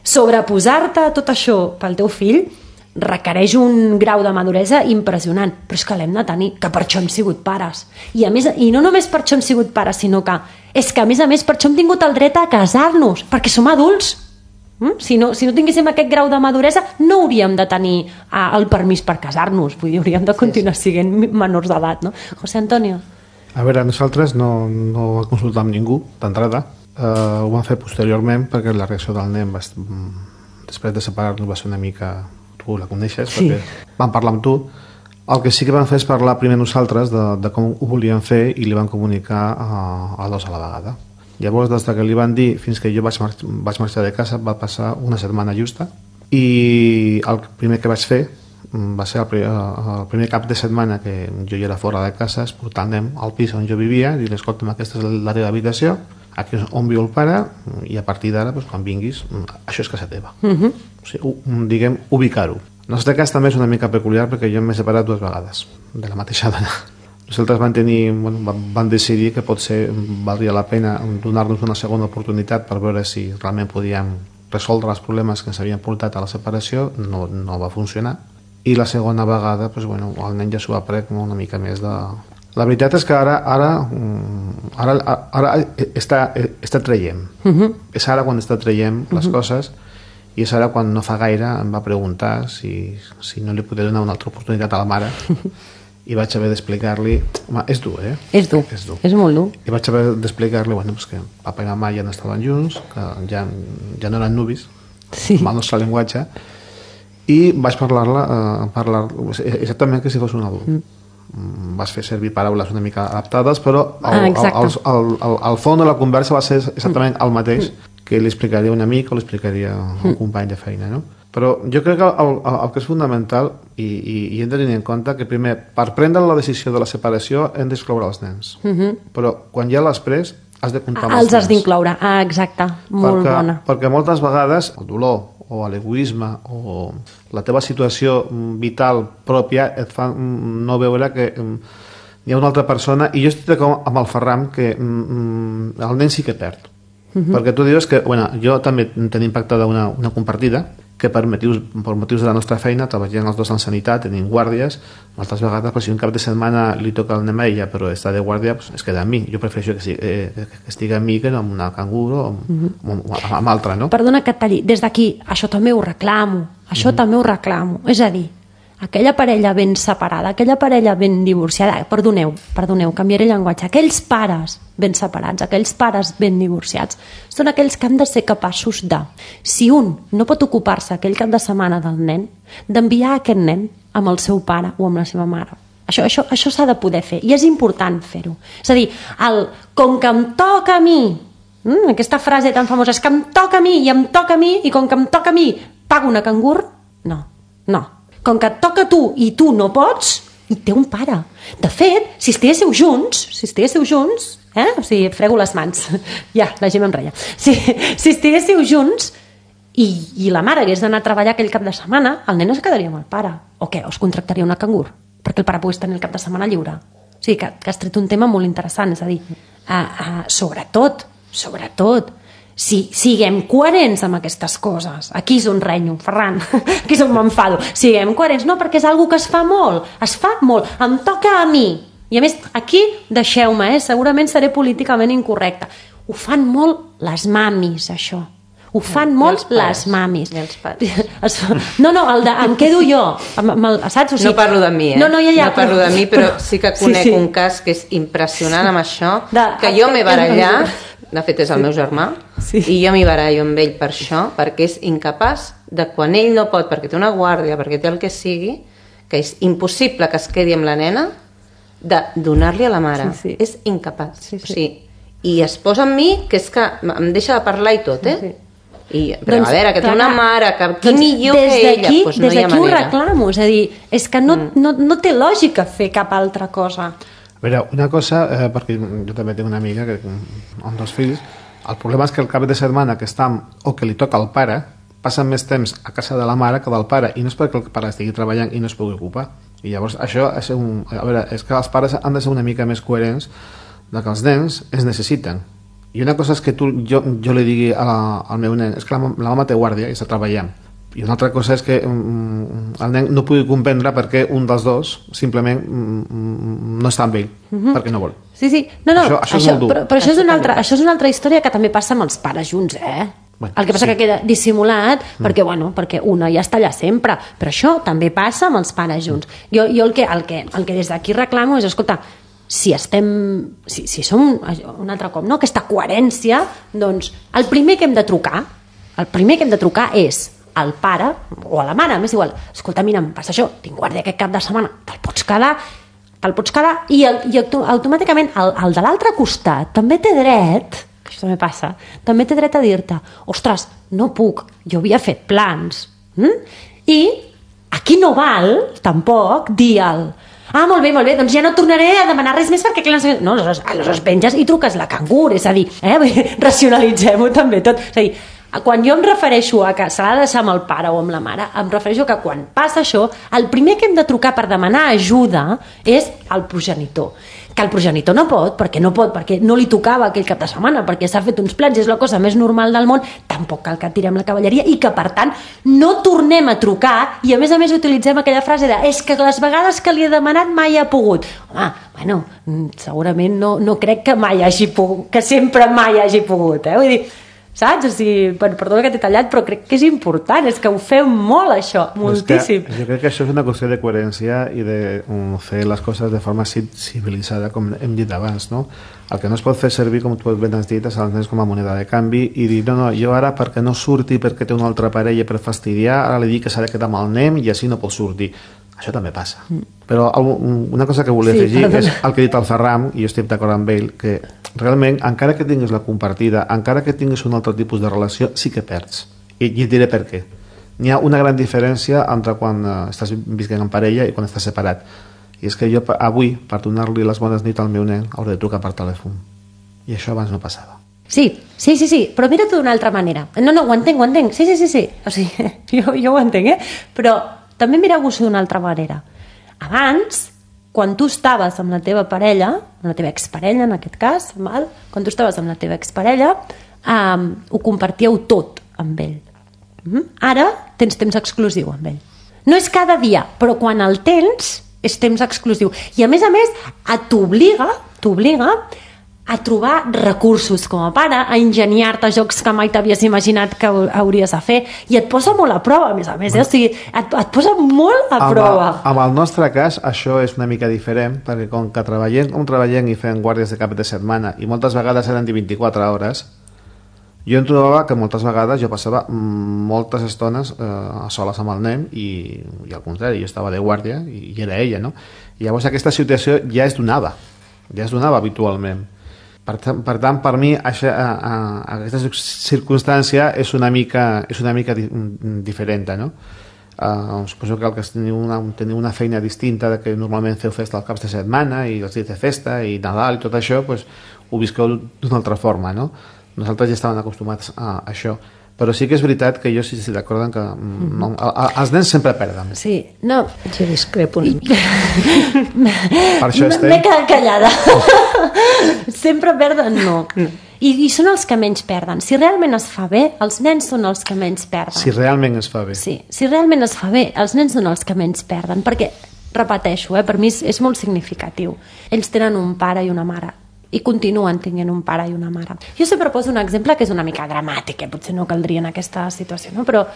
[SPEAKER 2] Sobreposar-te a tot això pel teu fill requereix un grau de maduresa impressionant, però és que l'hem de tenir, que per això hem sigut pares, i no només per això hem sigut pares, sinó que és que a més per això hem tingut el dret a casar-nos, perquè som adults. Si no tinguéssim aquest grau de maduresa no hauríem de tenir el permís per casar-nos, vull dir, hauríem de continuar sent menors d'edat, no? José Antonio.
[SPEAKER 5] A veure, nosaltres no vam consultar amb ningú d'entrada, ho vam fer posteriorment perquè la reacció del nen després de separar-nos va ser una mica... tu la coneixes, perquè vam parlar amb tu. El que sí que vam fer és parlar primer nosaltres de com ho volíem fer i li vam comunicar a dos a la vegada. Llavors, des que li van dir fins que jo vaig marxar de casa va passar una setmana justa, i el primer que vaig fer va ser el primer cap de setmana que jo ja era fora de casa, és portar el nen al pis on jo vivia, dir-li, escolta'm, aquesta és la teva habitació, aquí és on viu el pare, i a partir d'ara, quan vinguis, això és casa teva. O sigui, diguem, ubicar-ho. En el nostre cas també és una mica peculiar perquè jo m'he separat 2 vegades de la mateixa dona. Nosaltres vam decidir que potser valdria la pena donar-nos una segona oportunitat per veure si realment podíem resoldre els problemes que ens havien portat a la separació. No va funcionar, i la segona vegada el nen ja s'ho va pres com una mica més de... La veritat és que ara està traient. És ara quan està traient les coses, i és ara quan no fa gaire em va preguntar si no li podia donar una altra oportunitat a la mare, i vaig haver d'explicar-li... És dur,
[SPEAKER 2] És dur, és molt dur.
[SPEAKER 5] I vaig haver d'explicar-li que papa i mama ja no estaven junts, que ja no eren nuvis, amb el nostre llenguatge, i vaig parlar exactament que si fos un adult. Vas fer servir paraules una mica adaptades, però el fons de la conversa va ser exactament el mateix que li explicaria un amic o li explicaria un company de feina, no? Però jo crec que el que és fonamental, i hem de tenir en compte que primer, per prendre la decisió de la separació hem d'excloure els nens, però quan ja l'has pres has de comptar amb els nens.
[SPEAKER 2] Els has d'incloure, exacte, molt bona.
[SPEAKER 5] Perquè moltes vegades el dolor o l'egoisme o la teva situació vital pròpia et fa no veure que hi ha una altra persona, i jo estic d'acord amb el Ferran que el nen sí que perd. Perquè tu dius que jo també tenim pactada una compartida que per motius de la nostra feina treballem els dos en sanitat, tenim guàrdies, moltes vegades si un cap de setmana li toca el nen a ella però està de guàrdia, es queda amb mi. Jo prefereixo que estigui amb mi que amb una cangur o amb altra, no?
[SPEAKER 2] Perdona que et talli, des d'aquí això també ho reclamo, és a dir, aquella parella ben separada, aquella parella ben divorciada, perdoneu, canviaré el llenguatge, aquells pares ben separats, aquells pares ben divorciats, són aquells que han de ser capaços de, si un no pot ocupar-se aquell cap de setmana del nen, d'enviar aquest nen amb el seu pare o amb la seva mare. Això s'ha de poder fer, i és important fer-ho. És a dir, com que em toca a mi, aquesta frase tan famosa, és que em toca a mi, i com que em toca a mi, pago una cangur? No. Com que et toca a tu i tu no pots, i té un pare. De fet, si estiguéssiu junts, o sigui, frego les mans, ja, la Gemma em reia. Si estiguéssiu junts i la mare hagués d'anar a treballar aquell cap de setmana, el nen es quedaria amb el pare. O què? Us contractaria una cangur? Perquè el pare pogués tenir el cap de setmana lliure. O sigui, que has tret un tema molt interessant, és a dir, sobretot, siguem coherents amb aquestes coses. Aquí és on renyo, Ferran, aquí és on m'enfado. Siguem coherents, no, perquè és una que es fa molt, em toca a mi, I a més, aquí, deixeu-me, segurament seré políticament incorrecta. Ho fan molt les mamis, això. Ho fan molt les mamis.
[SPEAKER 4] I els pares.
[SPEAKER 2] No, em quedo jo. Saps? O sigui,
[SPEAKER 4] no parlo de mi,
[SPEAKER 2] No
[SPEAKER 4] parlo de mi, però sí que conec un cas que és impressionant amb això, que jo m'he barallat, de fet és el meu germà, i jo m'hi barallo amb ell per això, perquè és incapaç de quan ell no pot, perquè té una guàrdia, perquè té el que sigui, que és impossible que es quedi amb la nena, de donar-li a la mare. És incapaç. O sigui, i es posa amb mi, que és que em deixa de parlar i tot, però a veure, que té una mare que millor que ella, doncs no hi ha manera. Des d'aquí
[SPEAKER 2] ho reclamo, és a dir, és que no té lògica fer cap altra cosa.
[SPEAKER 5] A veure, una cosa, perquè jo també tinc una amiga amb 2 fills, el problema és que el cap de setmana que està o que li toca al pare, passen més temps a casa de la mare que del pare, i no és perquè el pare estigui treballant i no es pugui ocupar. I llavors això és a veure, és que els pares han de ser una mica més coherents de que els nens es necessiten. I una cosa és que jo li digui al meu nen, és que la mama té guàrdia i està treballant. I una altra cosa és que el nen no pugui comprendre perquè un dels dos simplement no està amb ell, perquè no vol.
[SPEAKER 2] Sí. No, això és molt dur. Però això és una altra història que també passa amb els pares junts, Bueno, el que passa que queda dissimulat perquè una ja està allà sempre, però això també passa amb els pares junts. Jo el que des d'aquí reclamo és, escolta, si som un altre cop, no? Aquesta coherència, doncs el primer que hem de trucar és al pare o a la mare, m'és igual, escolta, mira, em passa això, tinc guàrdia aquest cap de setmana, te'l pots quedar i automàticament el de l'altre costat també té dret, que això també passa, també té dret a dir-te, ostres, no puc, jo havia fet plans, i aquí no val tampoc dir molt bé, doncs ja no tornaré a demanar res més perquè no, aleshores penges i truques la cangur, és a dir, racionalitzem-ho també tot, és a dir, quan jo em refereixo a que se l'ha de deixar amb el pare o amb la mare, em refereixo que quan passa això, el primer que hem de trucar per demanar ajuda és el progenitor. Que el progenitor no pot, perquè no li tocava aquell cap de setmana, perquè s'ha fet uns plans, és la cosa més normal del món, tampoc cal que tirem la cavalleria i que, per tant, no tornem a trucar i, a més utilitzem aquella frase de és que les vegades que li he demanat mai ha pogut. Home, segurament no crec que mai hagi pogut, que sempre mai hagi pogut, Vull dir, saps? O sigui, perdona que t'he tallat, però crec que és important, és que ho feu molt, això, moltíssim.
[SPEAKER 5] Jo crec que això és una qüestió de coherència i de fer les coses de forma civilitzada, com hem dit abans, no? El que no es pot fer servir, com tu ben has dit, és els nens com a moneda de canvi i dir, no, jo ara perquè no surti perquè té una altra parella per fastidiar, ara li dic que s'ha de quedar amb el nen i així no pot sortir. Això també passa. Però una cosa que volia afegir és el que ha dit el Ferran, i jo estic d'acord amb ell, que realment, encara que tinguis la compartida, encara que tinguis un altre tipus de relació, sí que perds. I et diré per què. N'hi ha una gran diferència entre quan estàs visquent en parella i quan estàs separat. I és que jo avui, per donar-li les bones nits al meu nen, hauré de trucar per telèfon. I això abans no passava.
[SPEAKER 2] Sí, però mira-t'ho d'una altra manera. No, ho entenc. Sí. O sigui, jo ho entenc, Però també mireu-vos d'una altra manera. Abans, quan tu estaves amb la teva parella, amb la teva exparella en aquest cas, quan tu estaves amb la teva exparella, ho compartíeu tot amb ell. Ara tens temps exclusiu amb ell. No és cada dia, però quan el tens és temps exclusiu. I a més, t'obliga a trobar recursos com a pare, a ingeniar-te jocs que mai t'havies imaginat que hauries de fer, i et posa molt a prova, a més, o sigui, et posa molt a prova.
[SPEAKER 5] Amb el nostre cas, això és una mica diferent, perquè com que treballem i fem guàrdies de cap de setmana, i moltes vegades eren de 24 hores, jo em trobava que moltes vegades jo passava moltes estones a soles amb el nen, i al contrari, jo estava de guàrdia, i era ella, no? I llavors aquesta situació ja es donava habitualment. Per tant, per mi aquesta circumstància és una mica diferent, no? Suposo que el que teniu una feina distinta de que normalment feu festa als caps de setmana i els dies de festa i Nadal i tot això, ho visqueu d'una altra forma, no? Nosaltres ja estàvem acostumats a això, però sí que és veritat que jo sí estic d'acord en que els nens sempre perden.
[SPEAKER 2] Sí, no,
[SPEAKER 4] jo discrepo una mica.
[SPEAKER 5] Per això
[SPEAKER 2] m'he quedat callada. Sempre perden, no. I són els que menys perden. Si realment es fa bé, els nens són els que menys perden.
[SPEAKER 5] Si realment es fa bé.
[SPEAKER 2] Sí, si realment es fa bé, els nens són els que menys perden, perquè repeteixo, per mi és molt significatiu. Ells tenen un pare i una mare, i continuen tenint un pare i una mare. Jo sempre poso un exemple que és una mica dramàtic, potser no caldria en aquesta situació, no? Però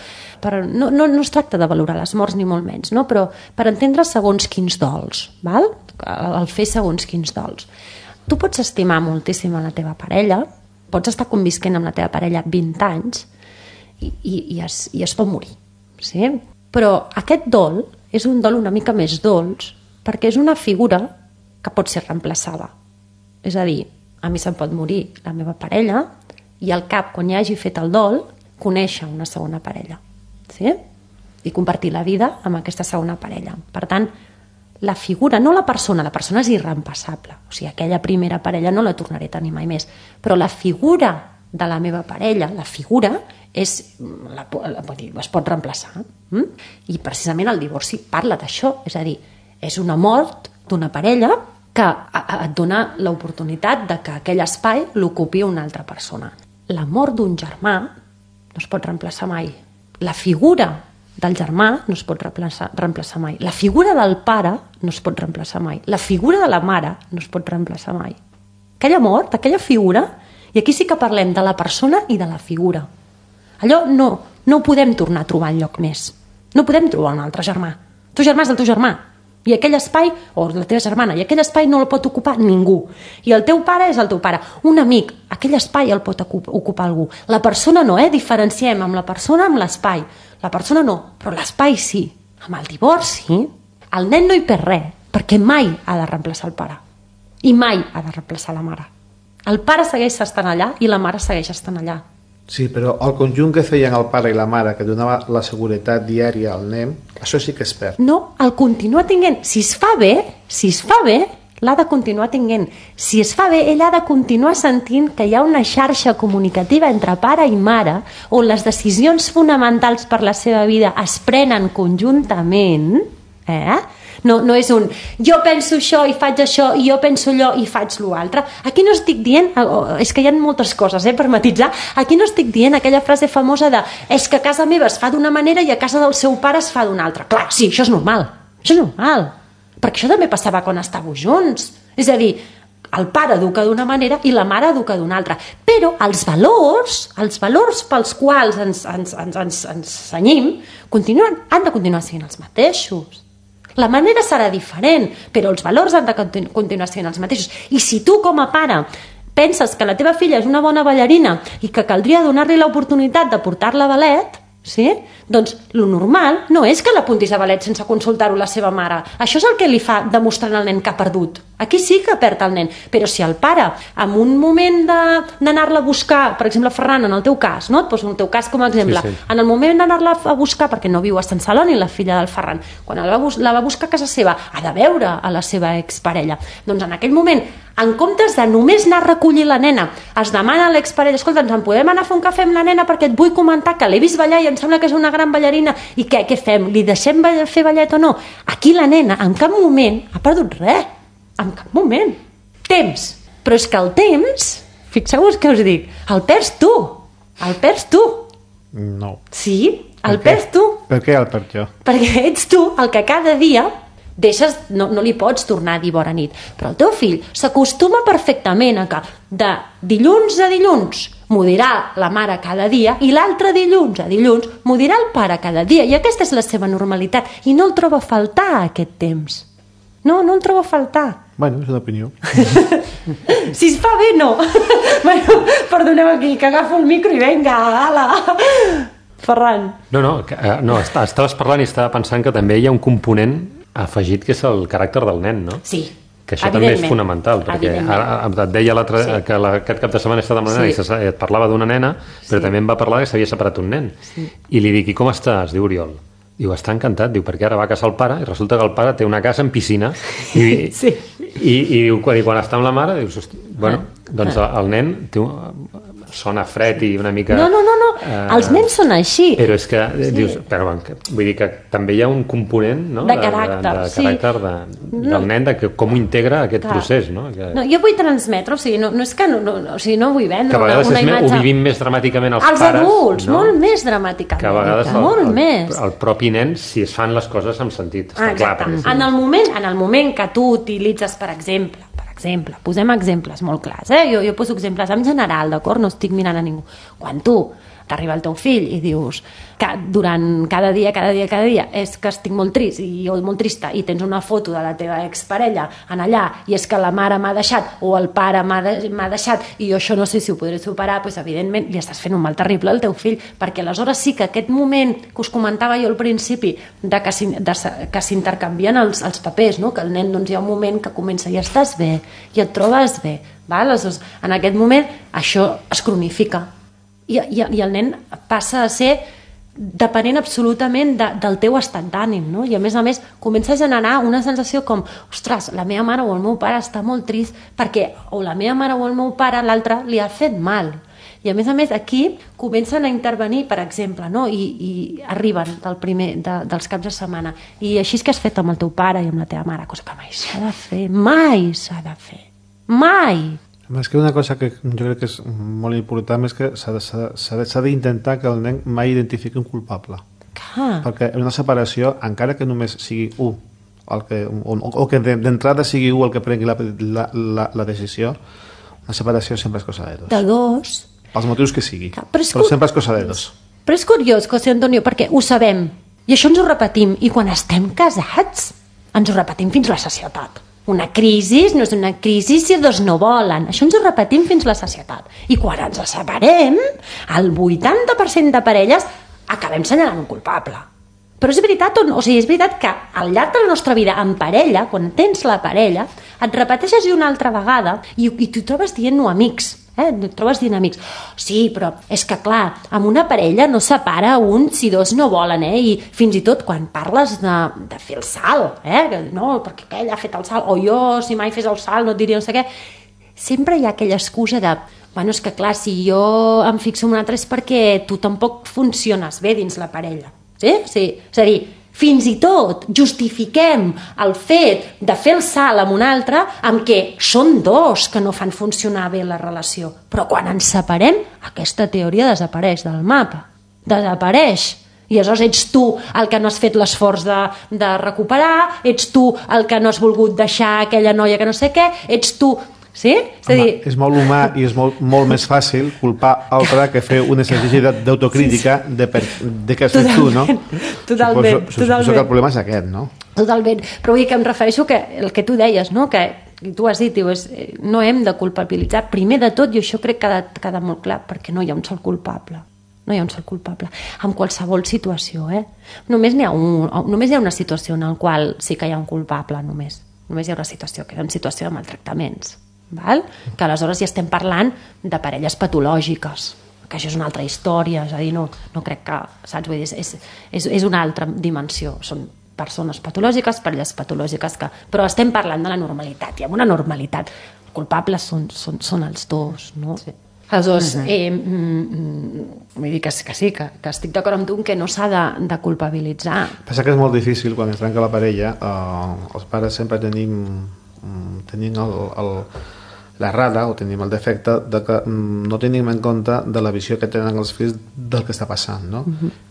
[SPEAKER 2] no es tracta de valorar les morts ni molt menys, no? Però per entendre segons quins dols, val? El fer segons quins dols. Tu pots estimar moltíssim a la teva parella, pots estar convisquent amb la teva parella 20 anys i es pot morir, sí? Però aquest dol és un dol una mica més dolç perquè és una figura que pot ser reemplaçada. És a dir, a mi se'm pot morir la meva parella i al cap, quan ja hagi fet el dol, conèixer una segona parella, sí? I compartir la vida amb aquesta segona parella. Per tant, la figura, no la persona és irreemplaçable. O sigui, aquella primera parella no la tornaré a tenir mai més. Però la figura de la meva parella, la figura, es pot reemplaçar. I precisament el divorci parla d'això. És a dir, és una mort d'una parella que et dona l'oportunitat de que aquell espai l'ocupi una altra persona. La mort d'un germà no es pot reemplaçar mai. La figura del germà no es pot reemplaçar mai. La figura del pare no es pot reemplaçar mai. La figura de la mare no es pot reemplaçar mai. Aquella mort, aquella figura, i aquí sí que parlem de la persona i de la figura. Allò no ho podem tornar a trobar enlloc més. No podem trobar un altre germà. El teu germà és el teu germà. I aquell espai, o la teva germana, i aquell espai no el pot ocupar ningú. I el teu pare és el teu pare. Un amic, aquell espai el pot ocupar algú. La persona no, diferenciem amb la persona amb l'espai. La persona no, però l'espai sí. Amb el divorci, el nen no hi perd res, perquè mai ha de reemplaçar el pare. I mai ha de reemplaçar la mare. El pare segueix estant allà i la mare segueix estant allà.
[SPEAKER 5] Sí, però el conjunt que feien el pare i la mare, que donava la seguretat diària al nen, això sí que es perd.
[SPEAKER 2] No, el continua tinguent. Si es fa bé, l'ha de continuar tinguent. Si es fa bé, ell ha de continuar sentint que hi ha una xarxa comunicativa entre pare i mare on les decisions fonamentals per la seva vida es prenen conjuntament, No és un jo penso això i faig això i jo penso allò i faig l'altre. Aquí no estic dient, és que hi ha moltes coses per matitzar, aquí no estic dient aquella frase famosa de és que a casa meva es fa d'una manera i a casa del seu pare es fa d'una altra. Clar, sí, això és normal, perquè això també passava quan estàveu junts. És a dir, el pare educa d'una manera i la mare educa d'una altra, però els valors pels quals ens cenyim han de continuar sent els mateixos. La manera serà diferent, però els valors han de continuar sent els mateixos. I si tu, com a pare, penses que la teva filla és una bona ballarina i que caldria donar-li l'oportunitat de portar-la a ballet, sí? Doncs lo normal no és que l'apuntis a ballet sense consultar-ho la seva mare. Això és el que li fa demostrant al nen que ha perdut. Aquí sí que perd el nen, però si el pare, en un moment d'anar-la a buscar, per exemple, Ferran, en el teu cas, no? Et poso el teu cas com a exemple, sí. En el moment d'anar-la a buscar, perquè no viu a Sant Celoni, la filla del Ferran, quan la va buscar a casa seva, ha de veure a la seva exparella. Doncs en aquell moment, en comptes de només anar a recollir la nena, es demana a l'exparella, escolta, ens en podem anar a fer un cafè amb la nena perquè et vull comentar que l'he vist ballar i em sembla que és una gran ballarina, i què fem? Li deixem fer ballet o no? Aquí la nena en cap moment ha perdut res. En cap moment. Temps. Però és que el temps, fixeu-vos què us dic, el perds tu.
[SPEAKER 5] No.
[SPEAKER 2] Sí, el perds tu.
[SPEAKER 5] Per què el perds jo?
[SPEAKER 2] Perquè ets tu el que cada dia deixes, no li pots tornar a dir bona nit, però el teu fill s'acostuma perfectament a que de dilluns a dilluns m'ho dirà la mare cada dia i l'altre dilluns a dilluns m'ho dirà el pare cada dia, i aquesta és la seva normalitat i no el troba a faltar aquest temps. No el trobo a faltar.
[SPEAKER 5] Bueno, és una opinió.
[SPEAKER 2] Si es fa bé, no. Bueno, perdoneu aquí, que agafo el micro i vinga, ala. Ferran.
[SPEAKER 3] No, estaves parlant i estava pensant que també hi ha un component afegit que és el caràcter del nen, no?
[SPEAKER 2] Sí,
[SPEAKER 3] que això també és fonamental, perquè ara et deia que aquest cap de setmana he estat amb la nena i et parlava d'una nena, però també em va parlar que s'havia separat un nen. I li dic, i com estàs? Diu Oriol. Diu, està encantat, diu, perquè ara va a casa el pare i resulta que el pare té una casa amb piscina i diu, quan està amb la mare dius, bueno, doncs el nen sona fred i una mica...
[SPEAKER 2] No. Els nens són així.
[SPEAKER 3] Però és que, dius, però, vull dir que també hi ha un component, no?
[SPEAKER 2] De caràcter, sí.
[SPEAKER 3] Del nen, de com ho integra aquest procés, no?
[SPEAKER 2] No, jo vull transmetre, o sigui, no és que no vull vendre
[SPEAKER 3] que a vegades
[SPEAKER 2] una imatge...
[SPEAKER 3] ho vivim més dramàticament els pares.
[SPEAKER 2] Els adults, no? Molt més dramàticament.
[SPEAKER 3] Que a vegades
[SPEAKER 2] molt més.
[SPEAKER 3] El propi nen, si es fan les coses amb sentit.
[SPEAKER 2] Exacte.
[SPEAKER 3] Clar,
[SPEAKER 2] en el moment que tu utilitzes, per exemple, posem exemples molt clars, jo poso exemples en general, d'acord? No estic mirant a ningú. Quan tu t'arriba el teu fill i dius que durant cada dia és que estic molt trist o molt trista i tens una foto de la teva exparella en allà i és que la mare m'ha deixat o el pare m'ha deixat i jo això no sé si ho podré superar, doncs evidentment li estàs fent un mal terrible al teu fill, perquè aleshores sí que aquest moment que us comentava jo al principi de que s'intercanvien els papers, no? Que el nen doncs, hi ha un moment que comença i estàs bé i et trobes bé, val? Aleshores, en aquest moment això es cronifica i el nen passa a ser depenent absolutament del teu estat d'ànim, no? I a més comença a generar una sensació com, ostres, la meva mare o el meu pare està molt trist perquè o la meva mare o el meu pare l'altre li ha fet mal. I a més aquí comencen a intervenir, per exemple, no? I arriben dels caps de setmana i així és que has fet amb el teu pare i amb la teva mare, cosa que mai s'ha de fer, mai.
[SPEAKER 5] És que una cosa que jo crec que és molt important és que s'ha d'intentar que el nen mai identifiqui un culpable. Perquè en una separació, encara que només sigui un o que d'entrada sigui un el que prengui la decisió, una separació sempre és cosa de dos.
[SPEAKER 2] De dos.
[SPEAKER 5] Pels motius que sigui, però sempre és cosa de dos.
[SPEAKER 2] Però és curiós, José Antonio, perquè ho sabem i això ens ho repetim, i quan estem casats ens ho repetim fins la sacietat. Una crisi no és una crisi si dos no volen. Això ens ho repetim fins la sacietat. I quan ens separem, el 80% de parelles acabem senyalant un culpable. Però és veritat, és veritat que al llarg de la nostra vida en parella, quan tens la parella, et repeteixes una altra vegada i t'ho trobes dient-ho amics. Et trobes dient amics. Sí, però és que clar, amb una parella no separa un si dos no volen, i fins i tot quan parles de fer el salt, no, perquè aquell ha fet el salt, o jo si mai fes el salt no et diria no sé què, sempre hi ha aquella excusa de, bueno, és que clar, si jo em fixo en un altre és perquè tu tampoc funciones bé dins la parella, sí? És a dir, fins i tot justifiquem el fet de fer el salt amb un altre amb què són dos que no fan funcionar bé la relació. Però quan ens separem, aquesta teoria desapareix del mapa. Desapareix. I aleshores ets tu el que no has fet l'esforç de recuperar, ets tu el que no has volgut deixar aquella noia que no sé què, ets tu... Sí?
[SPEAKER 5] És molt humà i és molt més fàcil culpar altre que fer un exercici d'autocrítica de què has fet tu, no?
[SPEAKER 2] Totalment.
[SPEAKER 5] Suposo que el problema és aquest, no?
[SPEAKER 2] Totalment. Però vull dir que em refereixo que el que tu deies, no? Que tu has dit, no hem de culpabilitzar. Primer de tot, i això crec que ha de quedar molt clar, perquè no hi ha un sol culpable. No hi ha un sol culpable. En qualsevol situació, Només hi ha una situació en la qual sí que hi ha un culpable, només. Només hi ha una situació, que és una situació de maltractaments. Val? Que aleshores ja estem parlant de parelles patològiques, que això és una altra història, és a dir, no crec que, saps? Vull dir, és una altra dimensió, són persones patològiques, parelles patològiques, però estem parlant de la normalitat, i amb una normalitat culpables són els dos, no? Sí. Aleshores, vull dir que sí, que estic d'acord amb tu que no s'ha de culpabilitzar.
[SPEAKER 5] Passa que és molt difícil quan es trenca la parella, els pares sempre tenim l'errada o tenim el defecte de que no tenim en compte de la visió que tenen els fills del que està passant, no?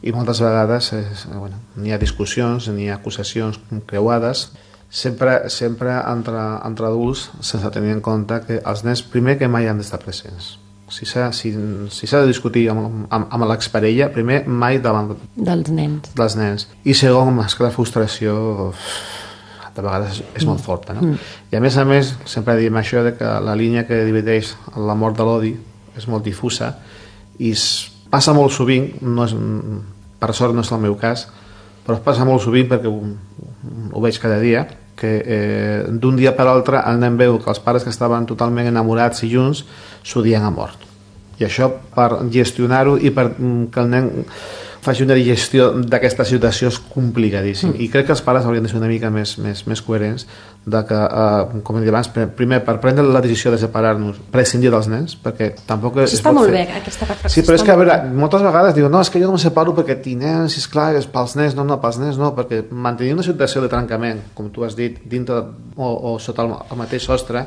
[SPEAKER 5] I moltes vegades n'hi ha discussions, n'hi ha acusacions creuades, sempre entre adults, sense tenir en compte que els nens primer que mai han d'estar presents. Si s'ha de discutir amb l'exparella, primer mai davant
[SPEAKER 2] dels nens.
[SPEAKER 5] I segon, és que la frustració de vegades és molt forta, no? I a més, sempre diem això de que la línia que divideix l'amor de l'odi és molt difusa i passa molt sovint, per sort no és el meu cas, però passa molt sovint perquè ho veig cada dia, que d'un dia per l'altre el nen veu que els pares que estaven totalment enamorats i junts s'odien a mort. I això, per gestionar-ho i per que el nen faci una digestió d'aquesta situació és complicadíssim. I crec que els pares haurien de ser una mica més coherents de que, com he dit abans, primer, per prendre la decisió de separar-nos, prescindir dels nens, perquè tampoc es
[SPEAKER 2] està
[SPEAKER 5] pot
[SPEAKER 2] molt
[SPEAKER 5] fer.
[SPEAKER 2] bé, aquesta reflexió.
[SPEAKER 5] Sí, però és que, a veure, moltes vegades diuen, no, és que jo no me separo perquè tinc nens, esclar, és pels nens, no, pels nens no, perquè mantenir una situació de trencament, com tu has dit, dintre o sota el mateix sostre,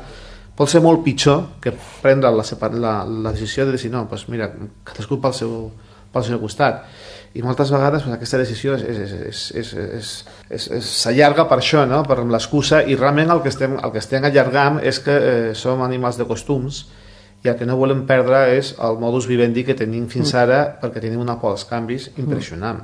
[SPEAKER 5] pot ser molt pitjor que prendre la decisió de dir, no, doncs mira, cadascú pel seu costat. I moltes vegades aquesta decisió s'allarga per això, no? Per l'excusa, i realment el que estem allargant és que som animals de costums i el que no volem perdre és el modus vivendi que tenim fins ara, perquè tenim una por als canvis impressionant.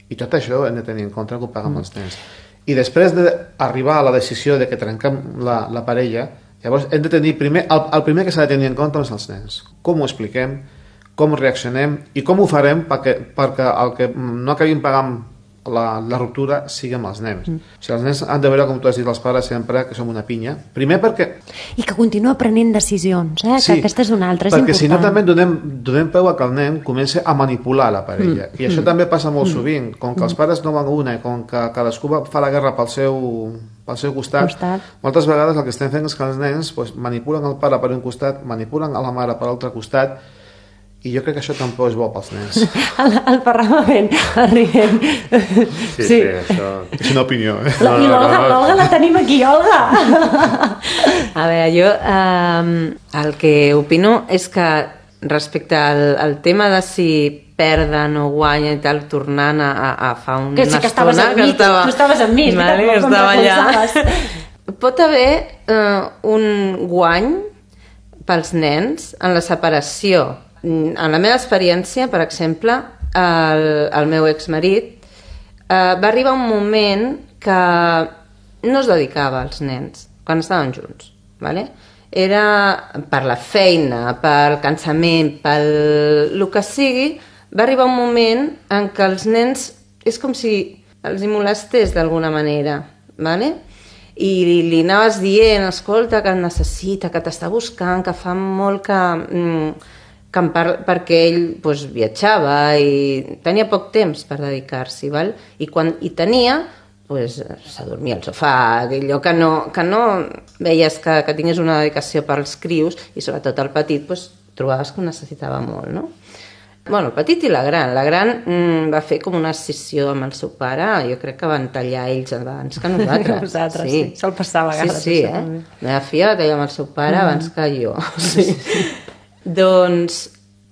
[SPEAKER 5] I tot això hem de tenir en compte que ho paguem els nens. I després d'arribar a la decisió de que trenquem la parella, llavors hem de tenir el primer que s'ha de tenir en compte és els nens. Com ho expliquem, com reaccionem i com ho farem perquè el que no acabim pagant la ruptura sigui amb els nens. O sigui, els nens han de veure, com tu has dit, els pares sempre, que som una pinya. Primer perquè...
[SPEAKER 2] I que continua prenent decisions,
[SPEAKER 5] Sí,
[SPEAKER 2] que aquesta és una altra, és
[SPEAKER 5] perquè
[SPEAKER 2] important.
[SPEAKER 5] si no també donem peu a que el nen comenci a manipular la parella. I això també passa molt sovint. Com que els pares no van una i com que cadascú fa la guerra pel seu costat, moltes vegades el que estem fent és que els nens manipulen el pare per un costat, manipulen a la mare per l'altre costat, i jo crec que això tampoc és bo pels nens.
[SPEAKER 2] El Ferran va fent, rient.
[SPEAKER 3] Sí, això...
[SPEAKER 5] És una opinió, eh?
[SPEAKER 2] I l'Olga la tenim aquí, Olga!
[SPEAKER 4] A veure, jo el que opino és que respecte al tema de si perden o guanyen i tal, tornant a fa una
[SPEAKER 2] que sí que estaves
[SPEAKER 4] estona...
[SPEAKER 2] amb mi, tu estaves amb mi,
[SPEAKER 4] vale, que estava allà. Pot haver un guany pels nens en la separació. En la meva experiència, per exemple, el meu exmarit va arribar un moment que no es dedicava als nens quan estaven junts, ¿vale? Era per la feina, pel cansament, pel el que sigui, va arribar un moment en què els nens és com si els hi molestés d'alguna manera, ¿vale? I li anaves dient, escolta, que et necessita, que t'està buscant, que fa molt perquè ell viatjava i tenia poc temps per dedicar-s'hi, val? I quan hi tenia, s'adormia al sofà, allò que no veies que tingués una dedicació pels crios, i sobretot el petit trobaves que ho necessitava molt, no? Bueno, el petit i la gran. La gran va fer com una escissió amb el seu pare, jo crec que van tallar ells abans que nosaltres.
[SPEAKER 2] Sí. Sol passar a vegades.
[SPEAKER 4] Sí, La meva filla va tallar amb el seu pare abans que jo. Sí. Doncs,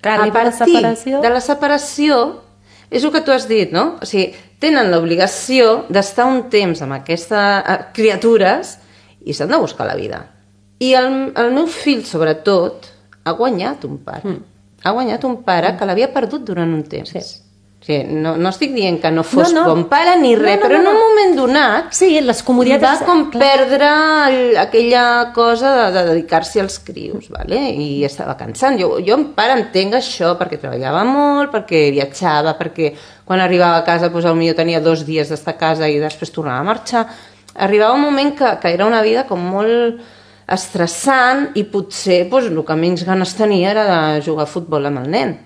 [SPEAKER 4] a partir de la separació, és el que tu has dit, no? O sigui, tenen l'obligació d'estar un temps amb aquestes criatures i s'han de buscar la vida. I el meu fill, sobretot, ha guanyat un pare. Ha guanyat un pare que l'havia perdut durant un temps. Sí. O sigui, no estic dient que no fos bon pare ni res, però en un moment donat
[SPEAKER 2] les comoditats
[SPEAKER 4] va com perdre aquella cosa de dedicar-s'hi als crios, ¿vale? I estava cansant. Jo en pare entenc això, perquè treballava molt, perquè viatjava, perquè quan arribava a casa potser tenia 2 dies d'estar a casa i després tornava a marxar. Arribava un moment que era una vida com molt estressant i potser el que menys ganes tenia era de jugar a futbol amb el nen.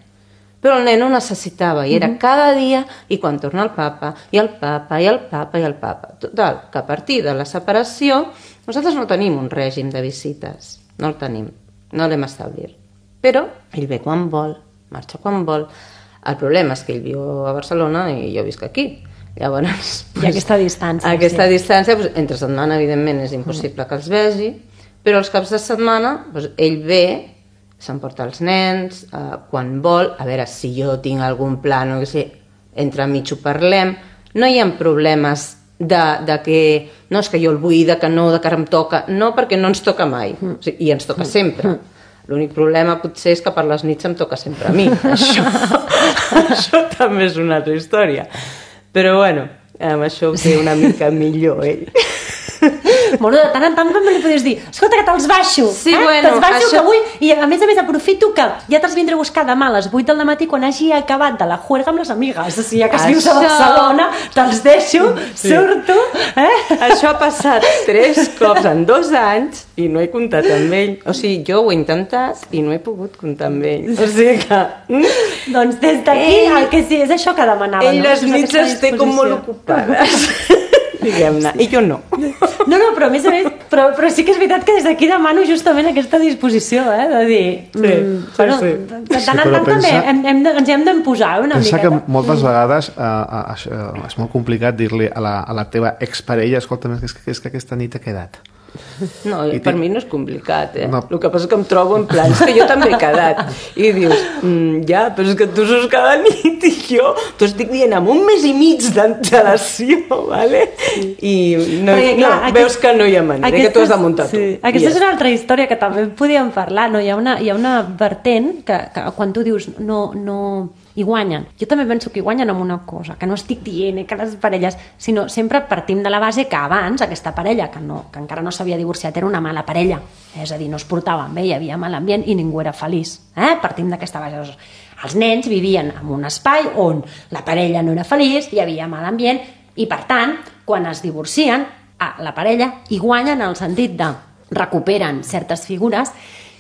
[SPEAKER 4] Però el nen ho necessitava i era cada dia, i quan torna el papa, i el papa, i el papa, i el papa. Total, que a partir de la separació nosaltres no tenim un règim de visites, no el tenim, no l'hem establit. Però ell ve quan vol, marxa quan vol. El problema és que ell viu a Barcelona i jo visc aquí. Llavors,
[SPEAKER 2] i aquesta distància.
[SPEAKER 4] Aquesta distància, entre setmana, evidentment, és impossible que els vegi, però els caps de setmana ell ve, s'emporta els nens, quan vol, a veure si jo tinc algun pla, no sé, entremig ho parlem, no hi ha problemes de que no és que jo el vull, de que no, de que ara em toca, no, perquè no ens toca mai, i ens toca sempre. L'únic problema potser és que per les nits em toca sempre a mi. Això també és una altra història. Però bueno, amb això ho té una mica millor ell.
[SPEAKER 2] Bueno, de tant en tant també li podies dir, escolta, que te'ls baixo,
[SPEAKER 4] sí, bueno,
[SPEAKER 2] te'ls baixo que vull, i a més aprofito que ja te'ls vindré a buscar demà a les 8 del matí quan hagi acabat de la juerga amb les amigues, o sigui, ja que vius a Barcelona, te'ls deixo, surto,
[SPEAKER 4] Això ha passat 3 cops en 2 anys i no he comptat amb ell, o sigui, jo ho he intentat i no he pogut comptar amb ell, o sigui que
[SPEAKER 2] Doncs des d'aquí el que sí és això que demanava.
[SPEAKER 4] Ell les nits es té com molt ocupades. Diguem-ne, i jo no.
[SPEAKER 2] No, però a més però sí que és veritat que des d'aquí demano justament aquesta disposició, de dir... De tant en tant també ens hem d'imposar una mica.
[SPEAKER 5] Pensa que moltes vegades és molt complicat dir-li a la teva exparella, escolta, és que aquesta nit he quedat.
[SPEAKER 4] No, per mi no és complicat, No. El que passa és que em trobo en plan, és que jo també he quedat. I dius, ja, però és que tu saps cada nit i jo t'ho estic dient amb un mes i mig d'antelació, ¿vale? I veus que no hi ha manera, que tu has de muntar tu.
[SPEAKER 2] Aquesta és una altra història que també podíem parlar, no? Hi ha una vertent que quan tu dius no hi guanyen. Jo també penso que hi guanyen amb una cosa, que no estic dient que les parelles, sinó sempre partim de la base que abans aquesta parella, que encara no s'havia divorciat, era una mala parella, és a dir, no es portaven bé, hi havia mal ambient i ningú era feliç. Partim d'aquesta base. Els nens vivien en un espai on la parella no era feliç, hi havia mal ambient i, per tant, quan es divorcien, la parella hi guanyen en el sentit de recuperen certes figures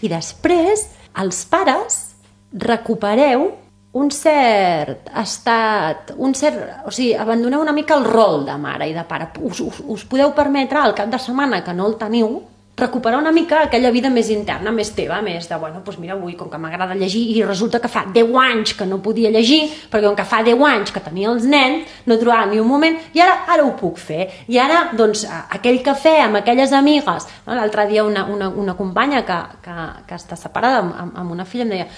[SPEAKER 2] i després els pares recupereu un cert estat, o sigui, abandoneu una mica el rol de mare i de pare. Us podeu permetre al cap de setmana que no el teniu, recuperar una mica aquella vida més interna, més teva, més de, doncs mira, avui com que m'agrada llegir i resulta que fa 10 anys que no podia llegir, perquè com que fa 10 anys que tenia els nens, no trobava ni un moment, i ara ho puc fer. I ara, doncs, aquell cafè amb aquelles amigues, no? L'altre dia una companya que està separada amb una filla em deia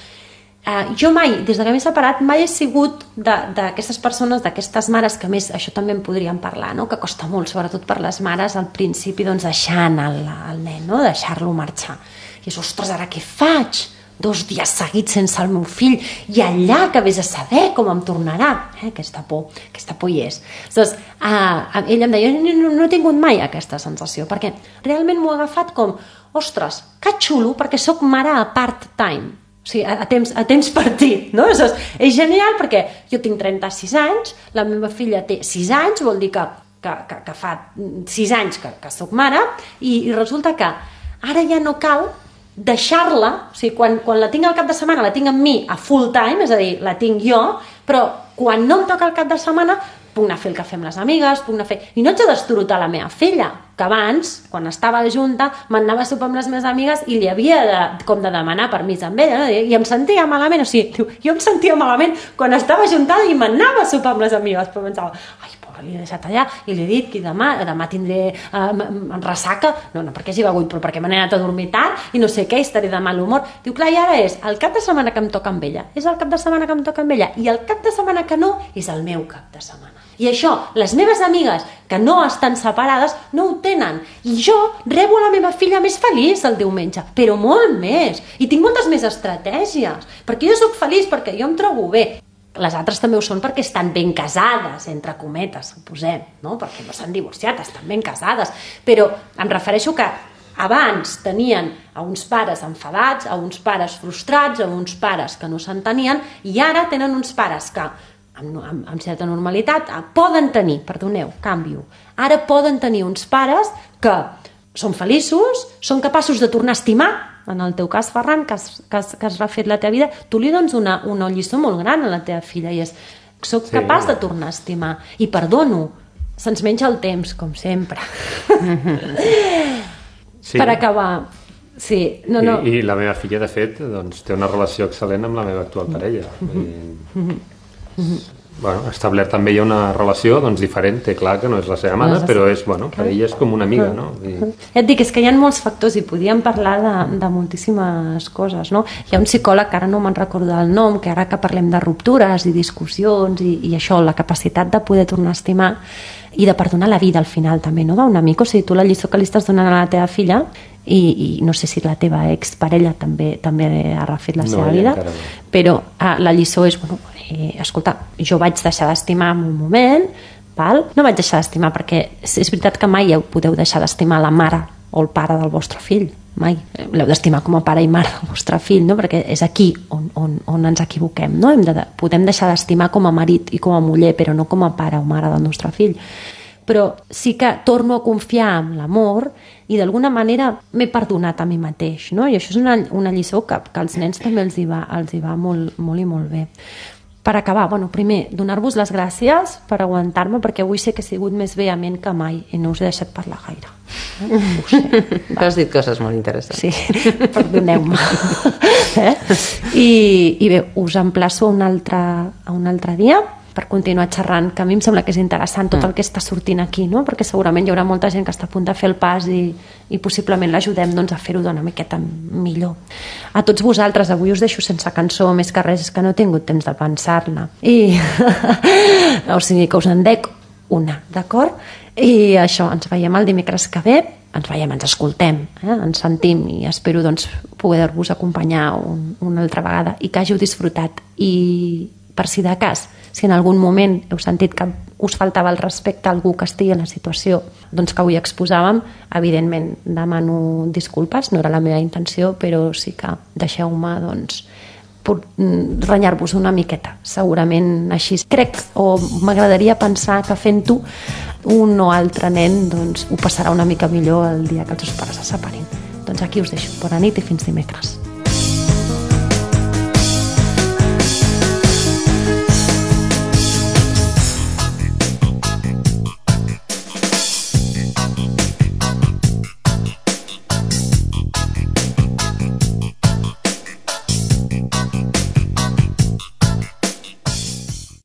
[SPEAKER 2] jo mai, des que m'he separat, mai he sigut d'aquestes persones, d'aquestes mares, que a més això també en podríem parlar, no? Que costa molt, sobretot per les mares, al principi deixar anar el nen, no? Deixar-lo marxar. I és, ostres, ara què faig? 2 dies seguits sense el meu fill i allà que vés a saber com em tornarà. Aquesta por hi és. Doncs, ella em deia, no he tingut mai aquesta sensació, perquè realment m'ho he agafat com, ostres, que xulo, perquè sóc mare a part-time. O sigui, a temps partit, no? És genial perquè jo tinc 36 anys, la meva filla té 6 anys, vol dir que fa 6 anys que soc mare i resulta que ara ja no cal deixar-la, o sigui, quan la tinc al cap de setmana la tinc amb mi a full time, és a dir, la tinc jo, però quan no em toca el cap de setmana puc anar a fer el cafè amb les amigues, i no haig de destorotar la meva filla, que abans, quan estava junta, m'anava a sopar amb les meves amigues i li havia de demanar permís amb ella, no? I em sentia malament, o sigui, jo em sentia malament quan estava juntada i m'anava a sopar amb les amigues, però pensava, ai, pobra, l'he deixat allà i li he dit que demà tindré ressaca, no perquè hagi begut, però perquè m'he anat a dormir tard i no sé què, estaré de mal humor. Diu, clar, i ara és el cap de setmana que em toca amb ella, és el cap de setmana que em toca amb ella, i el cap de setmana que no és el meu cap de setmana. I això, les meves amigues que no estan separades no ho tenen. I jo rebo la meva filla més feliç el diumenge, però molt més. I tinc moltes més estratègies, perquè jo sóc feliç, perquè jo em trobo bé. Les altres també ho són perquè estan ben casades, entre cometes, posem, no? Perquè no s'han divorciat, estan ben casades. Però em refereixo que abans tenien a uns pares enfadats, a uns pares frustrats, a uns pares que no s'entenien, i ara tenen uns pares que amb certa normalitat poden tenir, perdoneu, canvio, ara poden tenir uns pares que són feliços, són capaços de tornar a estimar. En el teu cas, Ferran, que has refet la teva vida, tu li dones una lliçó molt gran a la teva filla i és, soc capaç de tornar a estimar i perdono, se'ns menja el temps, com sempre. Per acabar, sí, no.
[SPEAKER 3] I la meva filla, de fet, té una relació excel·lent amb la meva actual parella. Bueno, establert també hi ha una relació diferent, té clar que no és la seva mare, però és, per ella és com una amiga, no?
[SPEAKER 2] Et dic, és que hi ha molts factors i podíem parlar de moltíssimes coses, no? Hi ha un psicòleg, que ara no me'n recordo el nom, que ara que parlem de ruptures i discussions i això, la capacitat de poder tornar a estimar i de perdonar la vida al final també, no? D'un amic, o sigui, tu la lliçó que li estàs donant a la teva filla i no sé si la teva exparella també ha refet la seva vida, però la lliçó és, escolta, jo vaig deixar d'estimar en un moment, no vaig deixar d'estimar perquè és veritat que mai podeu deixar d'estimar la mare o el pare del vostre fill, mai, l'heu d'estimar com a pare i mare del vostre fill, no? Perquè és aquí on ens equivoquem, no? Podem deixar d'estimar com a marit i com a muller, però no com a pare o mare del nostre fill. però sí que torno a confiar en l'amor i d'alguna manera m'he perdonat a mi mateix, no? I això és una lliçó que als nens també els hi va molt, molt i molt bé. Per acabar, primer, donar-vos les gràcies per aguantar-me, perquè avui sé que he sigut més vehement que mai i no us he deixat parlar gaire. Ho sé.
[SPEAKER 4] Has dit coses molt interessants.
[SPEAKER 2] Sí, perdoneu-me. I bé, us emplaço a un altre dia per continuar xerrant, que a mi em sembla que és interessant tot el que està sortint aquí, no? Perquè segurament hi haurà molta gent que està a punt de fer el pas i possiblement l'ajudem a fer-ho d'una miqueta millor. A tots vosaltres, avui us deixo sense cançó, més que res és que no he tingut temps de pensar-ne. O sigui que us en dec una, d'acord? I això, ens veiem el dimecres que ve, ens escoltem, ens sentim i espero poder-vos acompanyar una altra vegada i que hàgiu disfrutat. I per si de cas, si en algun moment heu sentit que us faltava el respecte a algú que estigui en la situació que avui exposàvem, evidentment demano disculpes, no era la meva intenció, però sí que deixeu-me renyar-vos una miqueta, segurament així. Crec o m'agradaria pensar que fent-ho un o altre nen ho passarà una mica millor el dia que els seus pares se separin. Aquí us deixo. Bona nit i fins dimecres.